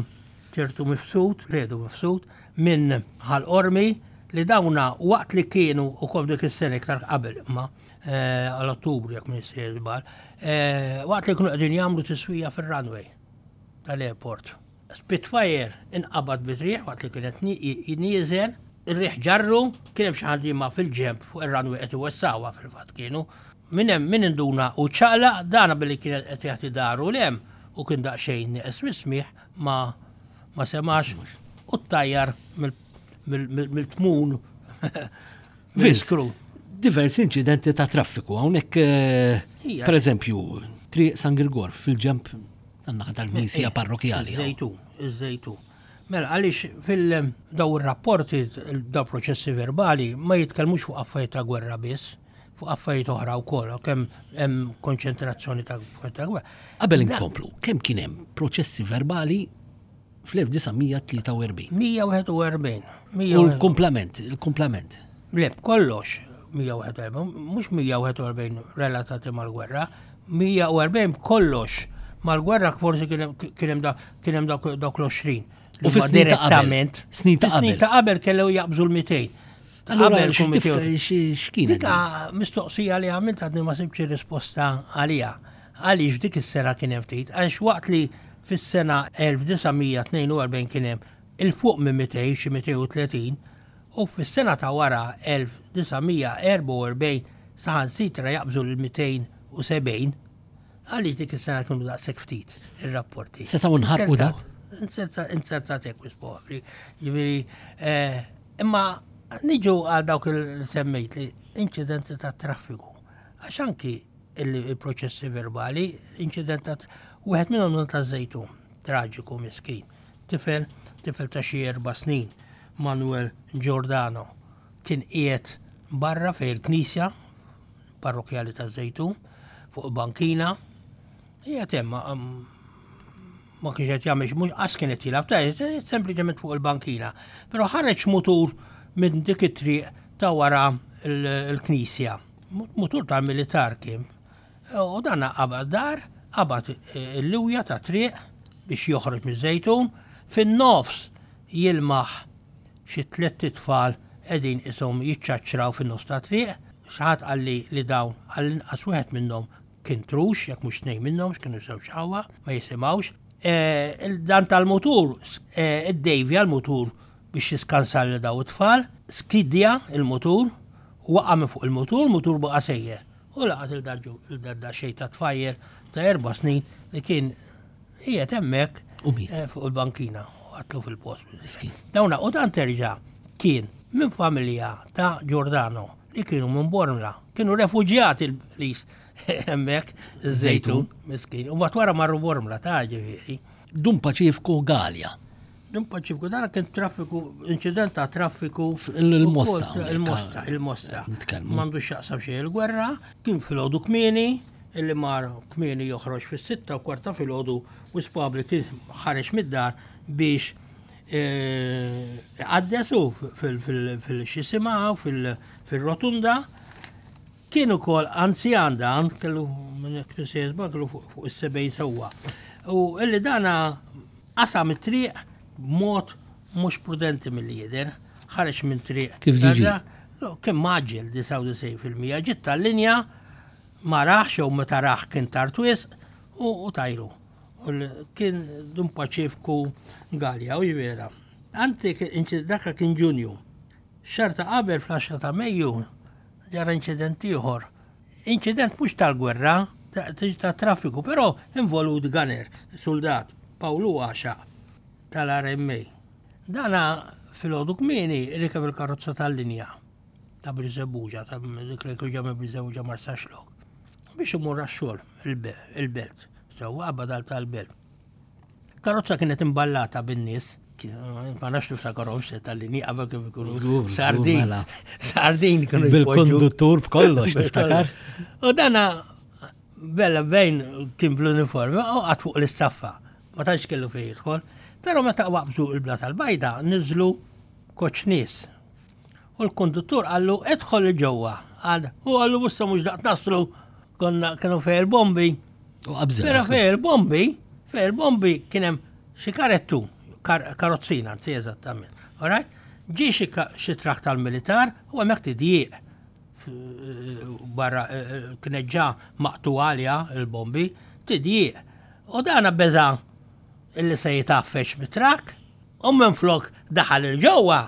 ċertu mifsud, Fredu mifsud, minn Ħal Qormi li dawna waqt li kienu ukoll dik is-sena iktar qabel imma eh, għal Ottubru jekk minn żball, eh, waqt li kienu qegħdin jagħmlu tiswija fir-runway tal-airport. Spitfire inqabad bit-riħ waqt li kienet nieżel, ir-riħ ġarru, kien hemm xi ħaddiema fil-ġenb fuq ir-runway qed iwessgħuha fil-fatt kienu. Min hemm min induna u ċaqlaq dana billi kien qed jagħti daru 'l hemm u kien daqsxejn nieqes mis-smigħ ma ma semax u ttajjar mill-tmun mill-iskru. Diversi inċidenti ta' traffiku hawnhekk eh, per eżempju Triq San Girgor fil-ġemp tan-naħa tal-Knisja Parrokjali. Iż-Żejtun, iż-Żejtun. Mela għaliex fil-daw ir-rapporti, daw proċessi verbali ma jitkellmux fuq affarijiet ta' gwerra biss, fuq affarijiet oħra wkoll, kemm hemm konċentrazzjoni ta' ta' gwerra. Qabel inkomplu, kemm kien hemm proċessi verbali fl-1943? 141. U l-kumplament, il-kumplament. Le, kollox 141, mhux 141 relatati mal-gwerra, 140 kollox mal-gwerra forsi kien hemm dawk l-20. U fi direttament. Snin ta' qabel. Snin ta' qabel kellu jaqbżu l-200. Qabel x'kien? Dika mistoqsija li għamilt għadni ma sibx risposta għalija. Għaliex dik is-sena kien hemm ftit, għax waqt li fis-sena 1942 kien hemm 'il fuq minn 200, xi 230, u fis-sena ta' wara 1944 saħansitra jaqbżu l-270, għaliex dik is-sena kienu daqshekk ftit ir-rapporti? Setgħu nħarqu daw? Inzertat hekk wis probabbli. Jiġifieri, eh, imma niġu għal dawk il semmejt li inċidenti ta' traffiku. Għax anki il-proċessi verbali, inċident ta' wieħed minnhom ta' żejtun, traġiku miskin. Tifel, tifel ta' xi erba' snin, Manuel Giordano, kien qiegħed barra fejn il-knisja parrokjali taż-Żejtun, fuq bankina, qiegħed hemm ma kienx qed jagħmel mhux qas kien qed jilgħab ta' sempliċement fuq il-bankina. Però ħareġ mutur minn dik it-triq ta' wara l-knisja. Mutur tal-militar kien. U dan qabad dar, qabad il-liwja ta' triq biex joħroġ miż-Żejtun, fin-nofs jilmaħ xi tlett itfal qegħdin qishom jiċċaċċraw fin-nofs tat-triq. Xi ħadd qalli li dawn għall-inqas wieħed minnhom kien trux, jekk mhux tnejn minnhom, x'kienu żewġ ħawa, ma jisimgħux. Dan tal-mutur iddejvja l-mutur biex jiskansa lil dawn it-tfal, skidja l-mutur, waqa' minn fuq il-mutur, il-mutur baqa' sejjer. U laqat il-dardar xejn ta' tfajjel ta' erba' snin li kien qiegħed hemmhekk eh, fuq il-bankina u qatlu fil-post. Dawna u dan terġa' kien minn familja ta' Giordano li kienu minn Bormla, kienu refuġjati l-lis hemmhekk iż-Żejtun, miskin. U mbagħad wara marru Bormla ta' ġifieri. Dun Paċifku Galea. Dun Paċifku, dan kien traffiku, inċident ta' traffiku. Il-Mosta. Il-Mosta, il-Mosta. M'għandu x'jaqsam xejn il-gwerra, kien filgħodu kmieni, illi mar kmieni joħroġ fis-6:15 filgħodu u spabli kien ħareġ mid-dar biex Iqaddes hu fil-xisima fil-rotunda. Kien ukoll anzjan dan, kellu minn hekk kellu fuq is-70 sewwa. U illi dana qasam it-triq b'mod mhux prudenti milli jidher, ħareġ minn triq. Kif ġie? Kien mgħaġġel 99%, ġiet tal-linja ma rahx jew meta rah kien tard wisq u tajru. Kien Dun Paċifku Galea, u vera. Anti daka kien Ġunju. Xahar ta' qabel fl-10 ta' Mejju ġara inċident ieħor. Inċident mhux tal-gwerra, ta' traffiku, però involut gunner, suldat, Pawlu Għaxaq tal-RMA. Dana filgħodu kmieni rikeb il-karozza tal-linja ta' Birżebbuġa, ta' dik li kien minn Birżebbuġa Marsaxlokk, biex imur għax-xogħol il-belt, sewwa badal tal-belt. Karozza kienet imballata bin-nies, ma nafx niftakarhom se tal-linji qabel kif ikunu sardin. Mela. Sardin kienu Bil-konduttur b'kollox niftakar. U dana bella bejn kien bl-uniformi u qatt fuq l-istaffa. Ma tantx kellu fejn jidħol. Però meta waqbżu il-bla tal-bajda niżlu koċ nies. U l-konduttur qallu idħol 'il ġewwa. Qal, u qallu musta mhux daqt naslu konna kienu fej il-bombi. U qabżel. Però fej il-bombi, fej il-bombi kien hemm xi karettu, karozzina, anzi eżattament. All right? Ġie xi trakk tal-militar u hemmhekk tidjieq barra eh, eh, kienet ġa maqtu għalja il-bombi, tidjieq. U dana beża illi se jitaffex mit-trakk u minflok daħal il-ġewwa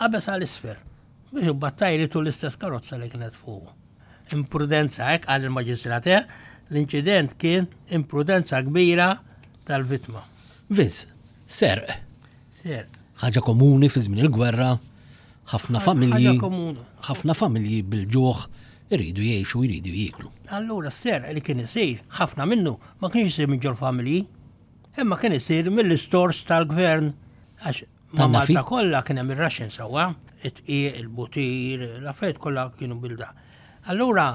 Qabeż għal isfel, biex imbagħad tajritu l-istess karozza li kienet fuqu. Imprudenza, hekk qal il-Maġistrat, eh? L-inċident kien imprudenza kbira tal-vittma. Vince, serq. Serq. Ħaġa komuni fi żmien il-gwerra, ħafna familji. Ħafna familji bil-ġuħ iridu jgħixu, jridu jieklu. Allura s-serq li kien isir, ħafna minnu ma kienx isir minn ġol-familji, imma kien isir mill-istors tal-gvern għax Ma Malta kollha kien hemm ir-Russian sewwa, it-tqiq, il-butir, l-affarijiet kollha kienu bilda. Allura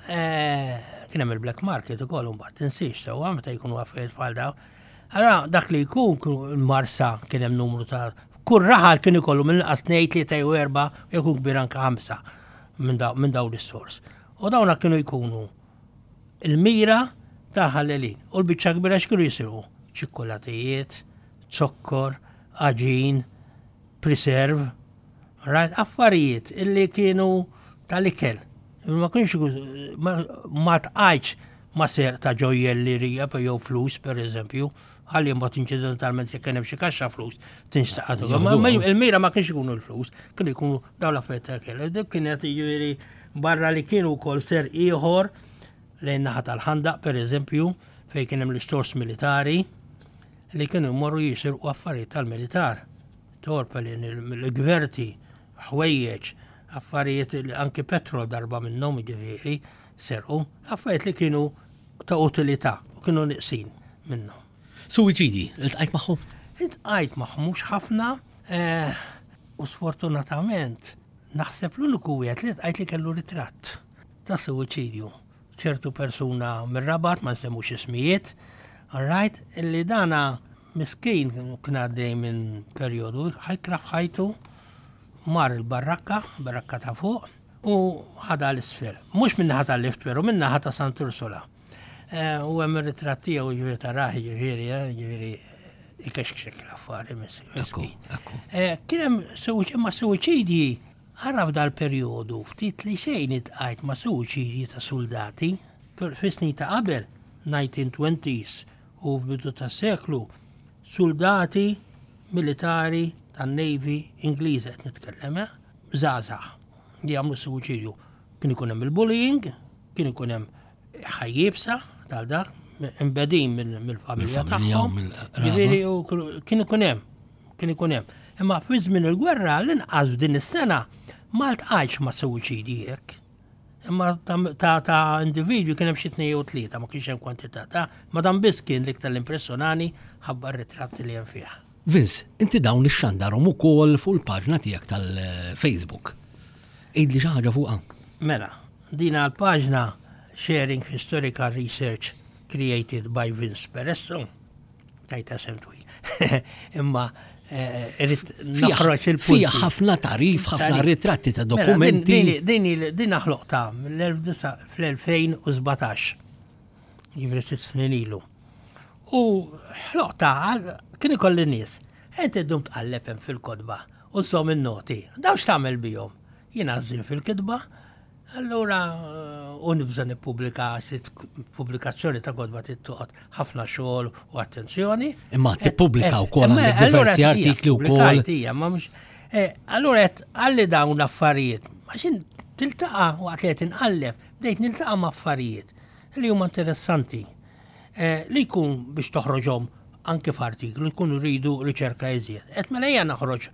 eh, kien hemm il-black market ukoll imbagħad tinsiex sewwa meta jkunu affarijiet bħal dawn. Allura dak li jkun il-Marsa kien hemm numru ta' kull raħal kien ikollu minn inqas tnejn, tlieta jew erba' jkun kbir anke ħamsa minn dawn l-istors. U dawna kienu jkunu il-mira tal-ħallelin. U l-biċċa kbira x'kienu jisirqu? Ċikkulatijiet, zokkor, għaġin, preserve, right? Affarijiet illi kienu tal-ikel. Ma kienx ma tqajtx ma ser ta' ġojjellerija jew flus per eżempju, ħalli mbagħad inċidentalment jekk kien hemm xi kaxxa flus tinxtaqat. Il-mira ma kienx ikunu l-flus, kienu jkunu dawn l-affarijiet ta' ikel. Dik kienet jiġifieri barra li kienu wkoll ser ieħor lejn naħa tal-ħandaq per eżempju fejn kien hemm l-istors militari li kienu jmorru jisirqu affarijiet tal-militar, torpelin, il-gverti, ħwejjeġ, affarijiet anki petrol darba minnhom jiġifieri serqu, affarijiet li kienu ta' utilità u kienu niqsin minnhom. Suwiċidi, iltqajt magħhom? Iltqajt magħhom mhux ħafna eh, u sfortunatament naħseb l-uniku wieħed li ltqajt li kellu ritratt ta' suwiċidju. ċertu persuna mir-Rabat, ma nsemmux ismijiet, all right, illi dana miskin kien għaddej minn perjodu ħajkra f'ħajtu, mar il-barrakka, barrakka ta' fuq, u ħadha l-isfel. Mhux minn naħa tal-lift, però minn naħa ta' Sant Ursula. Eh, u hemm ir-ritratt tiegħu jiġifieri ta' raħi jiġifieri, eh, jiġifieri ikexkxek l-affari miskin. Eh, kien hemm ma' suwiċidji Ara f'dal-perjodu ftit li xejn iltqajt ma' suwiċidji ta' suldati. Fis-snin ta' qabel, 1920s u f'bidu tas-seklu, suldati militari tan-Navy Ingliża qed nitkellem, eh, żgħażagħ li għamlu suwiċidju. Kien ikun hemm il-bullying, kien ikun hemm ħajja iebsa tal dak, imbegħdin mill-familja tagħhom. Ġifieri kien ikun hemm Kien ikun hemm. Imma fi żmien il-gwerra l-inqas f'din is-sena ma ltqajtx ma' suwiċidji hekk. Imma ta' ta' individwi kien hemm xi tnejn jew tlieta, ma kienx hemm kwantità ta' ma dan biss kien l-iktar li impressjonani ħabba r-ritratti li hemm fih. Vince, inti dawn ixxandarhom ukoll fuq il-paġna tiegħek tal-Facebook. Għidli xi ħaġa fuqha. Mela, din l-paġna Sharing Historical Research Created by Vince Peresso. tajta sem twil. Imma irrid noħroġ il-punti. Fija ħafna tarif, ħafna ritratti ta' mela, dokumenti. Din din ħloqta fl-2017. Jiġifieri sitt snin ilu. U ħloqta kien ikolli nies. Inti ddum tqalleb hemm fil-kotba u żżomm in-noti. Dawn x'tagħmel bihom? Jiena żżin fil-kitba, Allura u nibża' nippubblika għax pubblikazzjoni ta' kotba trid toqgħod ħafna xogħol u attenzjoni. Imma tippubblika wkoll għandek diversi artikli wkoll. Ma mhux. Allura qed għalli dawn l-affarijiet, għax tiltaqa' waqt li qed inqalleb, bdejt niltaqa' ma' affarijiet li huma interessanti li jkun biex toħroġhom anke f'artiklu jkunu rridu riċerka iżjed. Qed mela ejja noħroġ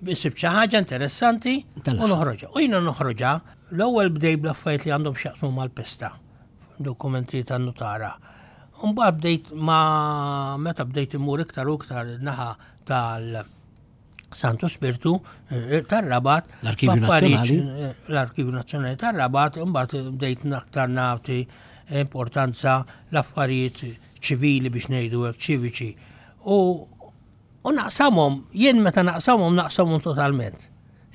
Insib xi ħaġa interessanti u noħroġha. U jiena noħroġha l-ewwel bdej bl-affarijiet li għandhom x'jaqsmu mal-pesta, dokumenti tan-nutara. Mbagħad bdejt ma meta bdejt immur iktar u iktar naħa tal Santu Spirtu eh, tar-Rabat. L-Arkivju Nazzjonali. Eh, L-Arkivju Nazzjonali tar-Rabat, imbagħad bdejt aktar nagħti importanza l-affarijiet ċivili biex ngħidu hekk ċiviċi. U U naqsamhom, jien meta naqsamhom naqsamhom totalment.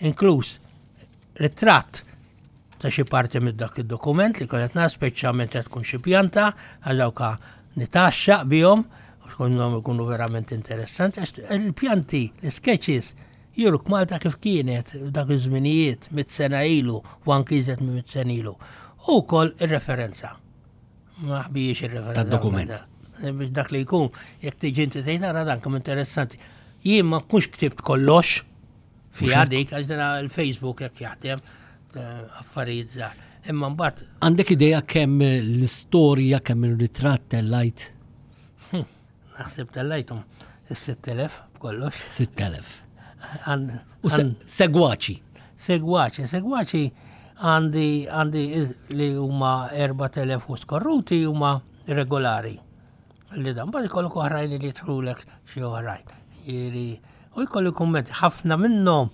Inkluż ritratt ta' xi parti minn dak id-dokument li kienet nara speċjalment qed tkun xi pjanta għal dawk nitaxxaq bihom tkun ikunu verament interessanti għax il-pjanti, l-sketches juruk Malta kif kienet dak iż-żminijiet mit sena ilu u anki iżjed minn mit sena ilu. U wkoll ir-referenza. Ma ħbijiex ir-referenza. Tad-dokument. Biex dak li jkun, jekk tiġi inti tgħid ara dan kemm interessanti. Jien ma nkunx ktibt kollox fiha dik għax dana il-Facebook jekk jaħdem eh, affarijiet żgħar. Imma mbagħad Għandek idea kemm l-istorja, kemm ir-ritratt tellajt? Hm, naħseb tellajthom is-6000 b'kollox. 6000. U segwaċi. Segwaċi, segwaċi għandi għandi li huma 4000 u skorruti huma regolari. Li dan bad ikollok oħrajn li jidħlulek xi oħrajn. Jieri, u jkollu kummenti ħafna minnhom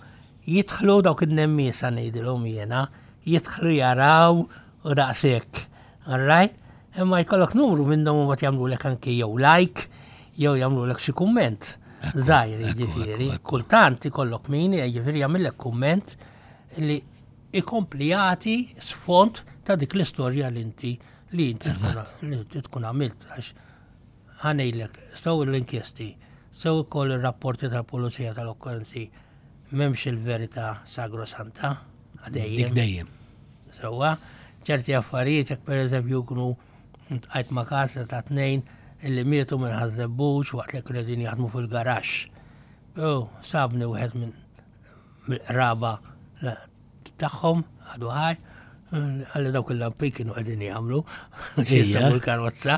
jidħlu dawk in-nemmiesa ngħidilhom jiena, jidħlu jaraw u daqshekk. All right? Imma jkollok numru minnhom u mbagħad jagħmlulek anki jew like jew jagħmlulek xi kumment. Żgħir jiġifieri. Kultant ikollok min jiġifieri jagħmillek kumment li ikompli jagħti sfond ta' dik l-istorja li inti li inti tkun għamilt għax ħanejlek sew l-inkjesti, sew ukoll ir-rapporti tal-pulizija tal-okkorrenzi m'hemmx il-verità sagrosanta għadejjem. Dejjem. Sewwa, ċerti affarijiet jekk pereżempju jkunu ltqajt ma' każ ta' tnejn illi mietu minn Ħaż-Żebbuġ waqt li kienu qegħdin jaħdmu fil-garaxx. Però sabni wieħed minn mill-qraba tagħhom għadu ħaj, għalli dawk il-lampik kienu qegħdin jagħmlu jisabu l-karozza.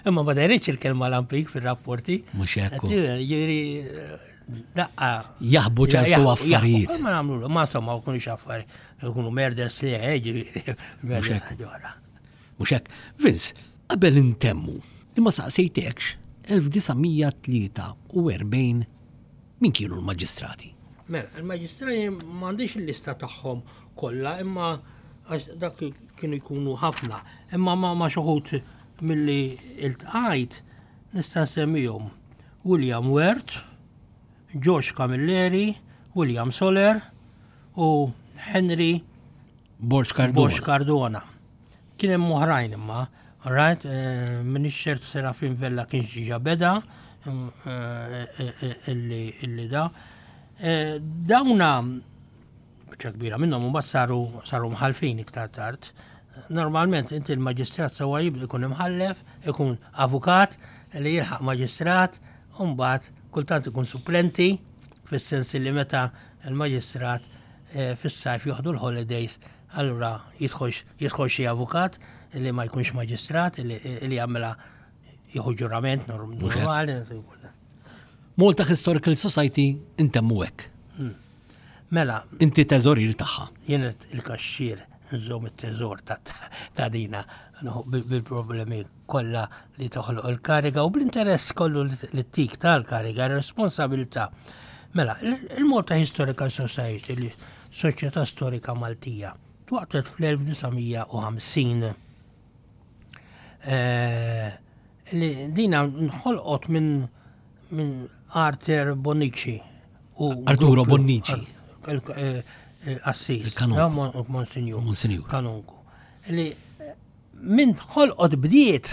Imma ma dejritx il-kelma lampik fir-rapporti. Mhux hekk. Jiġifieri daqqa. Jaħbu ċertu affarijiet. Ma nagħmlu, ma insomma ma jkunux affarijiet. Ikunu murders li eh, ġifieri, murders ħaġa Mhux hekk. Vince, qabel intemmu, li ma saqsejtekx, 1943 min kienu l-maġistrati? Mela, il-maġistrati m'għandix il-lista tagħhom kollha, imma għax dak kienu jkunu ħafna. Imma ma ma xi milli iltqajt nista' nsemmihom William Wert, George Camilleri, William Soler u Henry Borg Cardona. Borg Cardona. Kien hemm oħrajn imma, right, eh, minix ċert Serafin Vella kien ġiġa beda eh, eh, illi da. Dawna biċċa kbira minnhom imbagħad saru saru mħallfin iktar tard. Normalment inti l-maġistrat sewwa jibda jkun imħallef, ikun avukat li jilħaq maġistrat, u mbagħad kultant ikun supplenti fis-sens li meta l-maġistrat eh, fis-sajf joħdu l-holidays, allura jidħol xi avukat li ma jkunx maġistrat li jagħmilha jieħu ġurament normali. Malta Historical Society intemmu hekk. Hmm. Mela. Inti teżorir tagħha. Jien il-kaxxier nżomm it-teżor ta' dina bil-problemi kollha li toħloq il-kariga u bl-interess kollu li tik tal-kariga, responsabilità. Mela, il-Malta Historical Society, li Soċjetà Storika Maltija, twaqtet fl-1950. Eh, li dina nħolqot minn minn Arthur Bonnici u Arturo Bonnici. Il-qassis. Monsignor. Monsignor. Kanonku. Li minn ħolqot bdiet,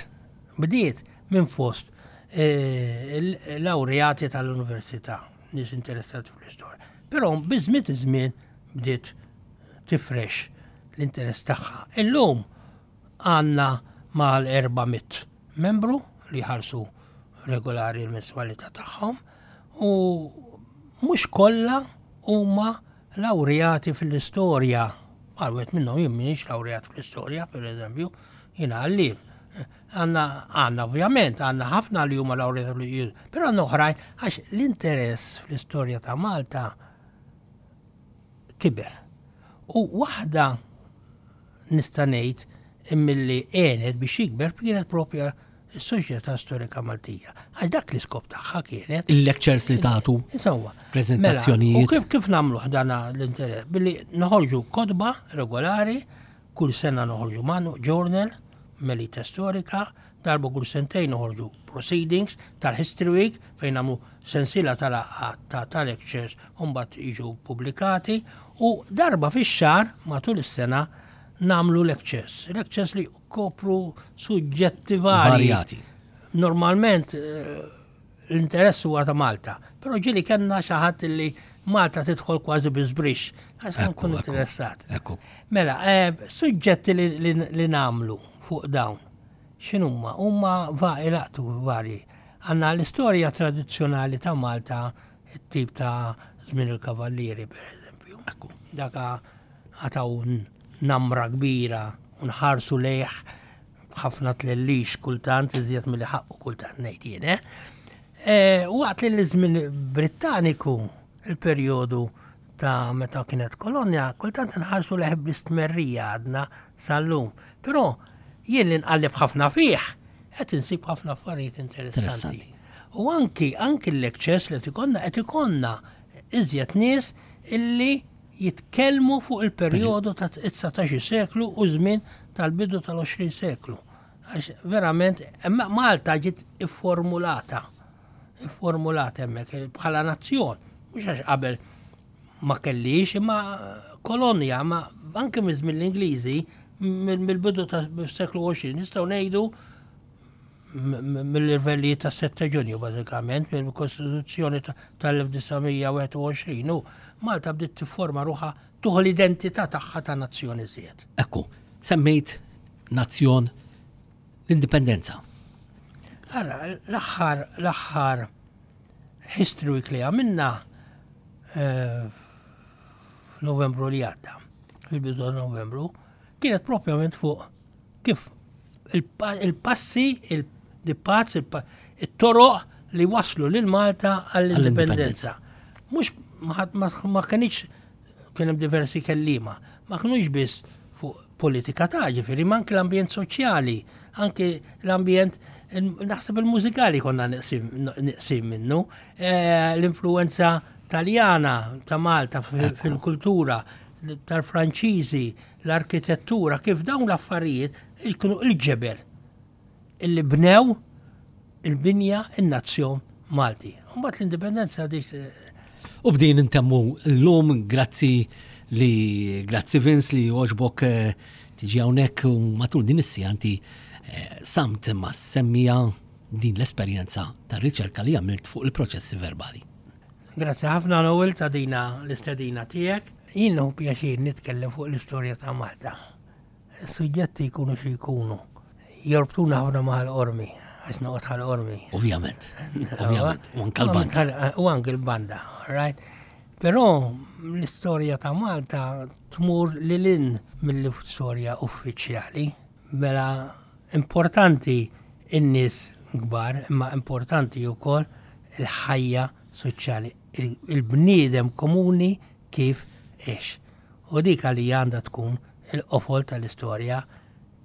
bdiet minn fost eh, laureati tal-università, nies interessati fl-istorja. Però biżmien iż-żmien bdiet tifrex l-interess tagħha. Illum għandna mal-400 membru li jħallsu regolari l-menswalità tagħhom u mhux kollha huma lawreati fl-istorja. Għal wieħed minnhom jien m'iniex lawreat fl-istorja, pereżempju, jiena għalliem. Għandna għandna ovvjament għandna ħafna li huma lawreati fl-istorja, però għandna oħrajn għax l-interess fl-istorja ta' Malta kiber. U waħda nista' ngħid milli għenet biex jikber kienet propja s-Soċjetà Storika Maltija. Għax dak l-iskop tagħha kienet. Il-lectures li tagħtu. Insomma. Prezentazzjonijiet. Mela, u kif kif nagħmluh dan l-interess? Billi noħorġu kotba regolari, kull sena noħorġu manu journal, Melita Storika, darba kull sentejn noħorġu proceedings tal-History Week fejn nagħmlu sensiela tal-laqgħat ta' lectures u mbagħad jiġu pubblikati u darba fix-xahar matul is-sena nagħmlu lectures. Lectures li kopru suġġetti varji. Varjati. Normalment eh, l-interess huwa ta' Malta, però ġieli kellna xi ħadd li Malta tidħol kważi bi żbrix, għax nkun interessat. Mela, eh, suġġetti li, li, li nagħmlu fuq dawn, x'inhuma? Huma va ilaqtu varji. Għandna l-istorja tradizzjonali ta' Malta, it-tip ta' żmien il-kavallieri, per eżempju. Daka għataw namra kbira u nħarsu lejh b'ħafna tlellix kultant iżjed milli ħaqqu kultant ngħid jien, eh? eh waqt li l-żmien Brittaniku, il-perjodu ta' meta kienet kolonja, kultant nħarsu lejh bl-istmerrija għadna sal-lum. Però jien li nqalleb ħafna fih, qed insib ħafna affarijiet interessanti. U anki anki l-lectures li qed ikollna qed ikollna iżjed nies illi jitkellmu fuq il-perjodu ta' 19 seklu u żmien tal-bidu tal-20 seklu. Għax verament, Malta ġiet ifformulata, ifformulata hemmhekk bħala nazzjon, mhux għax qabel ma kellix imma kolonja, ma anke miż-żmien l-Ingliżi mill-bidu ta' seklu 20 nistgħu ngħidu mill-irvellijiet ta' 7 Ġunju bażikament, mill-Kostituzzjoni tal-1921 u Malta bdiet tifforma ruħha tuħu l-identità tagħha ta' nazzjon iżjed. Ekku, semmejt nazzjon l-indipendenza. Ara, l-aħħar l-aħħar History Week li għamilna eh, f'Novembru li għadda, fil-bidu ta' Novembru, kienet propjament fuq kif il-passi, il-paths, it-toroq li waslu lil Malta għall-indipendenza. Mhux ma kienx kien hemm diversi kelliema, ma kinux biss fuq politika ta' ġifieri, ma anke l-ambjent soċjali, anke l-ambjent naħseb il-mużikali konna neqsin minnu, eh, l-influenza taljana ta' Malta fil-kultura, tal-Franċiżi, l-arkitettura, kif dawn l-affarijiet kienu il-ġebel illi bnew il-binja in-nazzjon Malti. Mbagħad l-indipendenza dik eh, U b'din intemmu l-lum, grazzi li grazzi Vince li oġbok eh, tiġi hawnhekk u matul din is-sija inti eh, samt ma semmija din l-esperjenza ta' riċerka li għamilt fuq il-proċessi verbali. Grazzi ħafna Noel ta' dina l-istedina tiegħek. Jien nieħu pjaċir nitkellem fuq l-istorja ta' Malta. Is-suġġetti jkunu xi jkunu. Jorbtuna ħafna ma' Ħal Qormi, għax noqgħod Ħal Qormi. Ovvjament. Ovvjament. U anke l-banda. U anke l-banda, right? Però l-istorja ta' Malta tmur lil hinn mill-istorja uffiċjali. Mela importanti n-nies kbar, imma importanti wkoll il-ħajja soċjali, il-bniedem komuni kif għex. U dik għalija għandha tkun il-qofol tal-istorja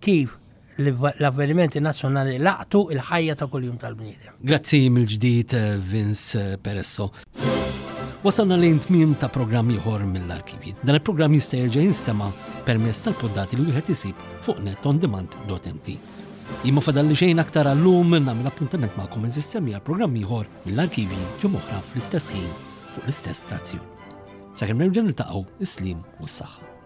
kif l-avvenimenti nazzjonali laqtu il-ħajja ta' kuljum tal-bniedem. Grazzi mill-ġdid eh, Vince eh, Peresso. Wasalna lejn tmiem ta' programm ieħor mill-arkivji. Dan il-programm jista' jerġa' jinstema' permezz tal-poddati li wieħed isib fuq netondemand.mt. Jien ma fadalli xejn aktar għallum nagħmel appuntament magħkom eżis semmi għal programm ieħor mill-arkivji ġimgħa oħra fl-istess ħin fuq l-istess stazzjon. Sakemm nerġa' niltaqgħu is-slim u s-saħħa.